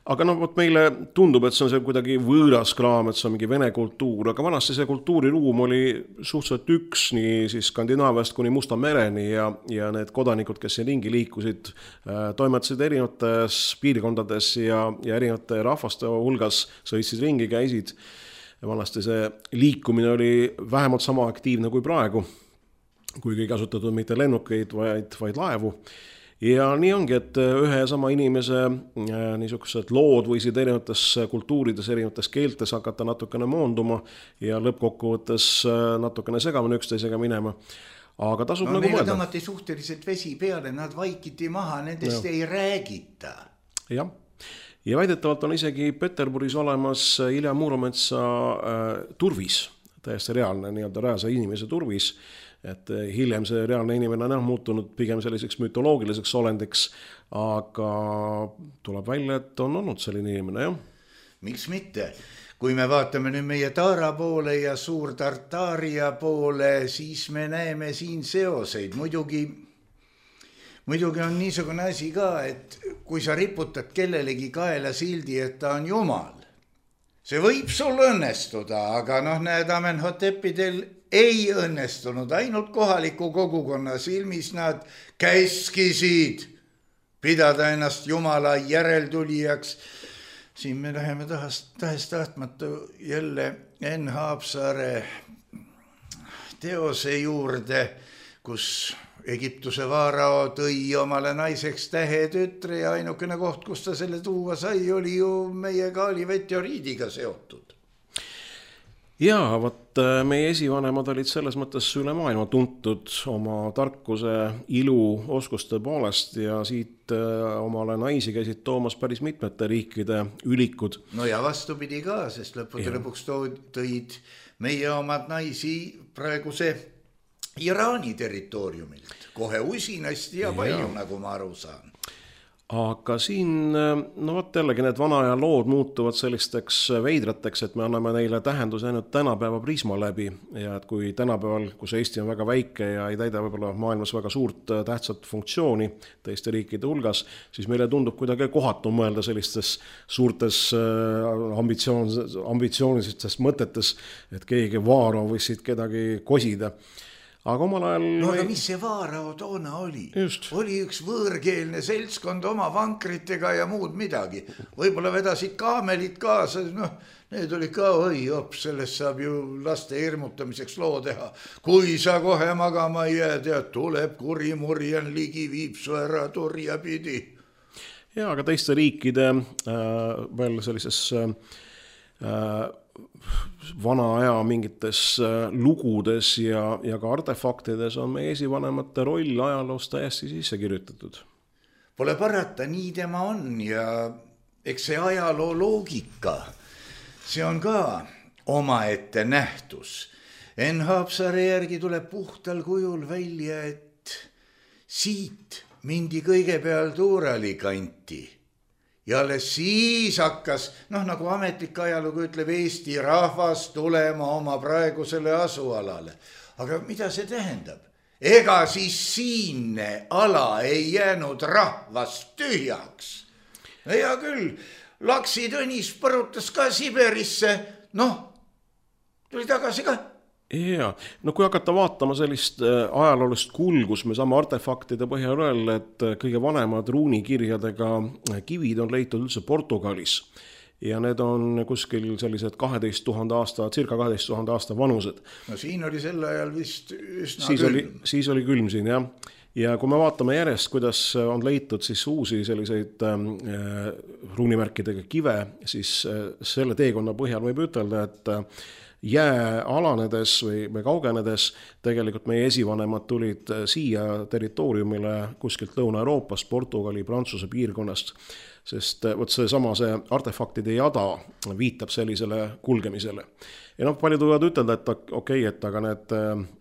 Aga meile tundub, et see on see kuidagi võõras kraam, et see on mingi Vene kultuur, aga vanasti see kultuuriruum oli suhteliselt üks nii siis Skandinaaviast kuni Musta mereni ja need kodanikud, kes siin ringi liikusid, toimetasid erinevates piirkondades ja erinevate rahvaste hulgas, sõitsid ringi, käisid. Vanasti see liikumine oli vähemalt sama aktiivne kui praegu, kuigi ei kasutatud mitte lennukeid, vaid laevu. Ja nii ongi, et ühe ja sama inimese niisugused lood võisid erinevates kultuurides, erinevates keeltes hakata natukene moonduma ja lõppkokkuvõttes natukene segamini üksteisega minema. Aga tasub nagu mõelda. Neile tõmmati suhteliselt vesi peale, nad vaikiti maha, nendest ei räägita. Jah. Ja väidetavalt on isegi Peterburis olemas Ilja Muurometsa turvis, täiesti reaalne nii-öelda rääsa inimese turvis, et hiljem see reaalne inimene on muutunud pigem selliseks mütoloogiliseks olendiks, aga tuleb välja, et on olnud selline inimene, jah. Miks mitte? Kui me vaatame nüüd meie Taara poole ja Suur-Tartaaria poole, siis me näeme siin seoseid. Muidugi on niisugune asi ka, et kui sa riputad kellelegi kaela sildi, et ta on jumal, see võib sul õnnestuda, aga näed, Amenhotepidel ei õnnestunud. Ainult kohaliku kogukonna silmis nad käskisid pidada ennast Jumala järeltulijaks. Siin me läheme tahes tahtmatu jälle Enn Haapsaare teose juurde, kus Egiptuse vaarao tõi omale naiseks tähetütre ja ainukene koht, kus ta selle tuua sai, oli ju meie Gaali-Meteoriidiga seotud. Jaa, võt meie esivanemad olid selles mõttes üle maailma tuntud oma tarkuse, ilu, oskuste poolest ja siit omale naisi käisid toomas päris mitmete riikide ülikud. No ja vastupidi ka, sest lõpuks tõid meie omad naisi praeguse Iraani territooriumilt. Kohe usinasti ja palju, nagu ma aru saan. Aga siin, võt jällegi need vana aja lood muutuvad sellisteks veidrateks, et me anname neile tähenduse ainult tänapäeva prisma läbi ja et kui tänapäeval, kus Eesti on väga väike ja ei täida võib-olla maailmas väga suurt tähtsat funktsiooni teiste riikide hulgas, siis meile tundub kuidagi kohatu mõelda sellistes suurtes ambitsioonilistes mõtetes, et keegi vaaro võisid kedagi kosida. Aga omal ajal... aga mis see vaarao toona oli? Just. Oli üks võõrkeelne seltskond oma vankritega ja muud midagi. Võib-olla vedasid kaamelit kaasa, need oli ka, sellest saab ju laste hirmutamiseks loo teha. Kui sa kohe magama ei jää, tead, tuleb kurimurjan ligi, viib su ära turja pidi. Ja, aga teiste riikide veel sellises... vana aja mingites lugudes ja ka artefaktides on meie esivanemate roll ajaloos täiesti sisse kirjutatud. Pole parata, nii tema on ja eks see ajaloo loogika, see on ka omaette nähtus. Enn Haapsaare järgi tuleb puhtal kujul välja, et siit mindi kõigepealt Uurali kanti. Ja alles siis hakkas, nagu ametlik ajalugu ütleb, Eesti rahvas tulema oma praegusele asualale. Aga mida see tähendab? Ega siis siinne ala ei jäänud rahvast tühjaks. Ja küll, Laksi Tõnis põrutas ka Siberisse, tuli tagasi ka. Ja, kui hakata vaatama sellist ajaloolist kulgus, me saame artefaktide põhjal öelda, et kõige vanemad ruunikirjadega kivid on leitud üldse Portugalis. Ja need on kuskil sellised 12 000 aasta, circa 12 000 aasta vanused. No siin oli sel ajal vist üsna külm. Siis oli külm siin, jah. Ja kui me vaatame järjest, kuidas on leitud siis uusi selliseid ruunimärkidega kive, siis selle teekonna põhjal võib ütelda, et jää alanedes või kaugenedes tegelikult meie esivanemad tulid siia territooriumile kuskilt Lõuna-Euroopast, Portugali, Prantsuse piirkonnast, sest see artefaktide jada viitab sellisele kulgemisele. Ja paljud võivad ütelda, et et aga need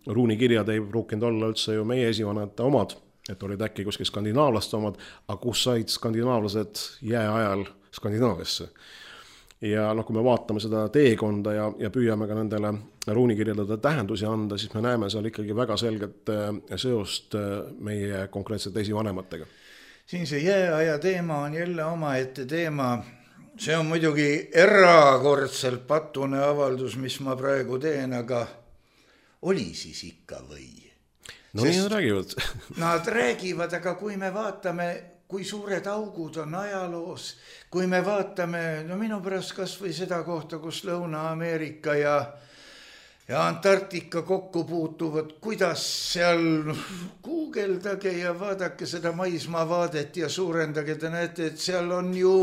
ruunikirjad ei pruukinud olla üldse ju meie esivanemate omad, et olid äkki kuskil skandinaavlaste omad, aga kus said skandinaavlased jääajal Skandinaaviasse. Ja kui me vaatame seda teekonda ja püüame ka nendele ruunikirjadele tähendusi anda, siis me näeme seal ikkagi väga selget seost meie konkreetsete esivanematega. Siin see jääaja teema on jälle omaette teema. See on muidugi erakordselt patune avaldus, mis ma praegu teen, aga oli siis ikka või? Nii nad räägivad. Nad räägivad, aga kui me vaatame... kui suured augud on ajaloos, kui me vaatame, minu pärast kas või seda kohta, kus Lõuna-Ameerika ja Antarktika kokku puutuvad, kuidas seal guugeldage ja vaadake seda maismaavaadet ja suurendage, te näete, et seal on ju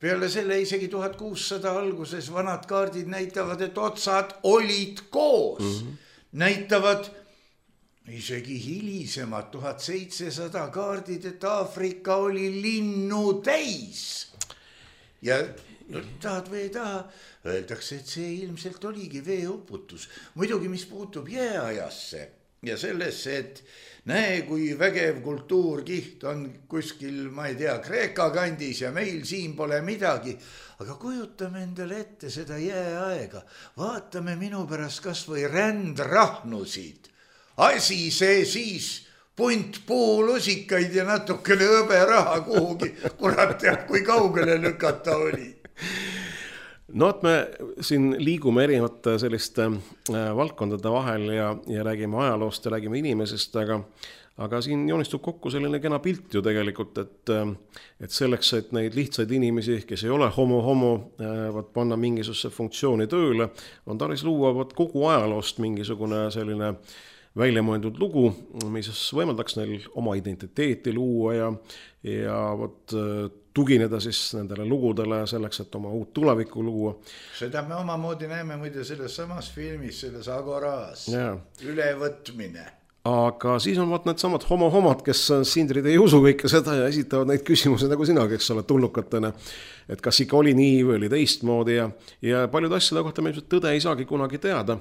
peale selle isegi 1600 alguses vanad kaardid näitavad, et otsad olid koos, näitavad isegi hilisemad 1700 kaardid, et Aafrika oli linnu täis. Ja tahad või ei taha, öeldakse, et see ilmselt oligi veeuputus. Muidugi, mis puutub jääajasse, ja sellesse, et näe, kui vägev kultuurkiht on kuskil, ma ei tea, Kreeka kandis ja meil siin pole midagi. Aga kujutame endale ette seda jääaega. Vaatame minu pärast kas või rändrahnusid. Asi see siis punt puulusikaid ja natukene hõberaha kuhugi. Kurat teab, kui kaugele lükata oli. No, et me siin liigume erinevate selliste valdkondade vahel ja räägime ajaloost ja räägime inimesest, aga siin joonistub kokku selline kena pilt ju tegelikult, et selleks, et neid lihtsaid inimesi, kes ei ole homo, panna mingisuguse funktsiooni tööle, on tarvis luua kogu ajaloost mingisugune selline väljamõeldud lugu, mis võimaldaks neil oma identiteeti luua ja tugineda siis nendele lugudele selleks, et oma uut tulevikku luua. Seda me omamoodi näeme muide selles samas filmis, selles Agoras, ülevõtmine. Aga siis on need samad homod, kes sindrid ei usu kõike seda ja esitavad neid küsimusi nagu sina, kes oled tulnukatena, et kas ikka oli nii või oli teistmoodi ja paljud asjade kohta me tõde ei saagi kunagi teada.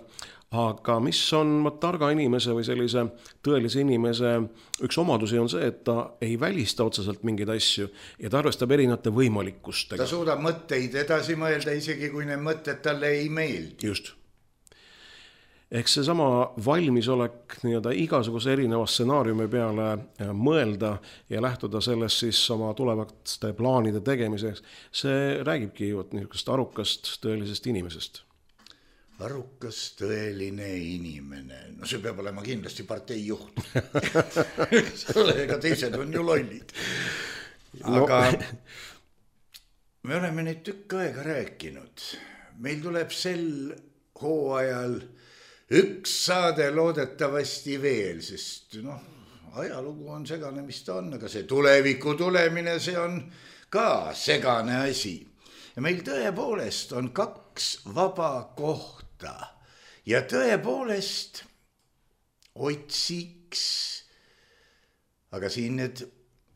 Aga mis on targa inimese või sellise tõelise inimese üks omadusi on see, et ta ei välista otseselt mingeid asju ja ta arvestab erinevate võimalikkustega. Ta suudab mõtteid edasi mõelda, isegi kui need mõtted talle ei meeldi. Just. Ehk see sama valmisolek igasuguse erineva stsenaariumi peale mõelda ja lähtuda sellest siis oma tulevaste plaanide tegemiseks, see räägibki niisugust arukast tõelisest inimesest. Arukas tõeline inimene. No see peab olema kindlasti partei juht. Sellega teised on ju lollid. Aga me oleme neid tükk aega rääkinud. Meil tuleb sel hooajal üks saade loodetavasti veel, sest ajalugu on segane, mis ta on, aga see tuleviku tulemine, see on ka segane asi. Ja meil tõepoolest on 2 vaba kohta. Ja tõepoolest otsiks, aga siin need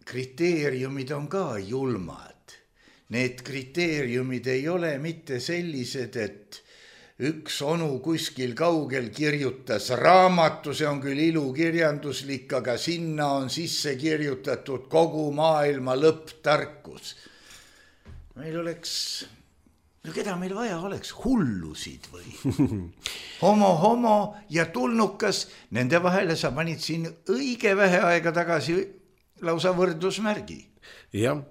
kriteeriumid on ka julmad. Need kriteeriumid ei ole mitte sellised, et üks onu kuskil kaugel kirjutas raamatu, see on küll ilukirjanduslik, aga sinna on sisse kirjutatud kogu maailma lõpptarkus. Meil oleks... No keda meil vaja oleks? Hullusid või? Homo ja tulnukas, nende vahele sa panid siin õige vähe aega tagasi lausa võrdusmärgi. Jah,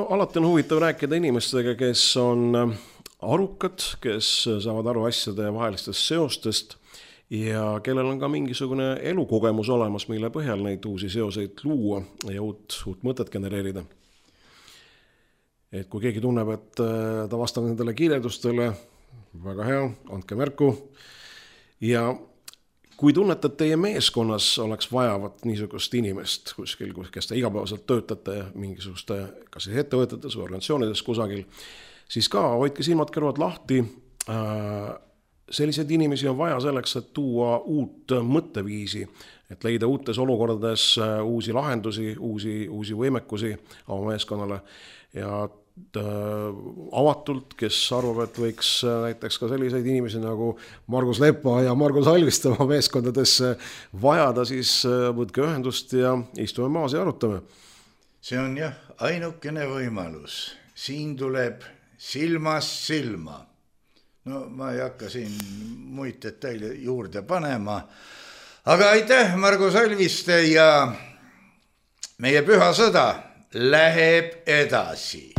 alati on huvitav rääkida inimestega, kes on arukad, kes saavad aru asjade vahelistest seostest ja kellel on ka mingisugune elukogemus olemas, mille põhjal neid uusi seoseid luua ja uut mõtet genereerida. Et kui keegi tunneb, et ta vastab nendele kirjeldustele, väga hea, andke märku. Ja kui tunnete, et teie meeskonnas oleks vajavat niisugust inimest kuskil, kes te igapäevaselt töötate mingisuguste, kas siis ettevõtetes või organisatsioonides kusagil, siis ka hoidke silmad kõrvad lahti. Selliseid inimesi on vaja selleks, et tuua uut mõtteviisi, et leida uutes olukordades uusi lahendusi, uusi võimekusi oma meeskonnale ja avatult, kes arvab, et võiks näiteks ka selliseid inimesi nagu Margus Lepa ja Margus Alvist oma meeskondadesse vajada, siis võtke ühendust ja istume maas ja arutame. See on jah, ainukene võimalus. Siin tuleb silmast silma. No ma ei hakka siin muid detaile juurde panema. Aga aitäh, Margus Alviste, ja meie püha sõda läheb edasi.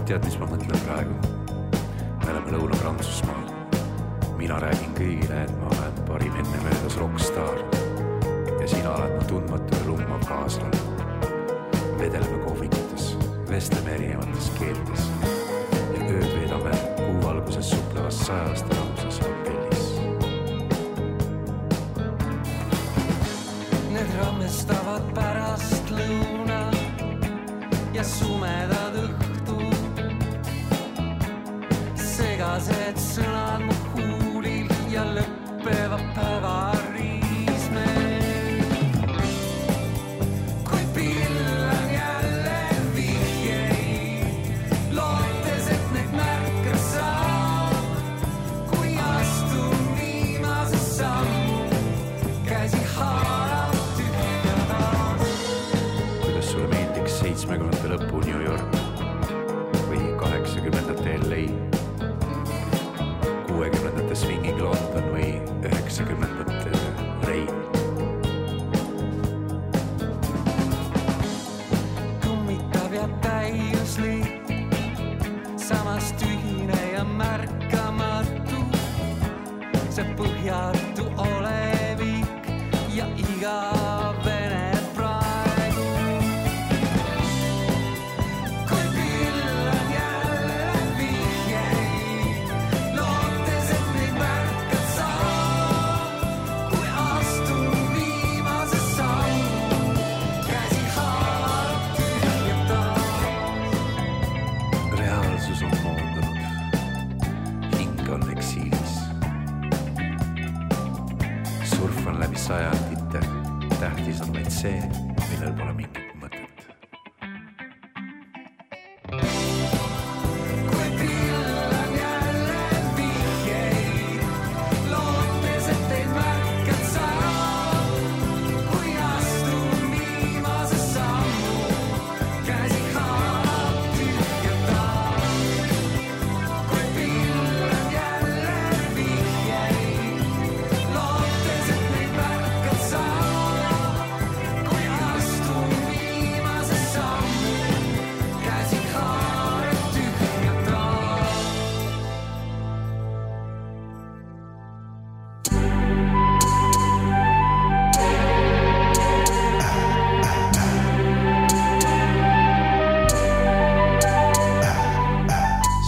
Tead, mis ma mõtlen praegu? Me oleme Lõuna-Prantsusmaal. Mina räägin kõigile, et ma olen parim enne möödas rockstar. Ja sina oled ma tundmatu ja lummav kaaslane. Vedeleme kohvikutes, vestleme erinevates keeltes. Ja ööd veedame kuuvalguses suplevas 100 rahuses hotellis. Need rammestavad pärast lõuna ja sumedad õhtud. Segased sõnad mu huulil ja lõppeva päeva riismel. Kui pillan jälle vihjei, see põhjatu olevik ja igavene praegu. Kui küll on jälle vihjeid, lootes, et neid märkad sa, kui astun viimase sammu, käsi haarab tühja taas. Reaalsus on moondunud, hing on eksiilis. Surfan läbi sajandite, tähtis on vaid see, millel pole mingit mõtet. Kui küll on jälle vihjeid, lootes, et teid märkad sa, kui astun viimase sammu, käsi haarab tühja taas. Kui küll on jälle vihjeid, lootes, et teid märkad sa, kui astun viimase sammu, käsi haarab tühja taas.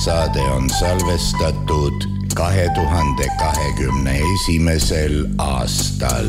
Saade on salvestatud 2021. aastal.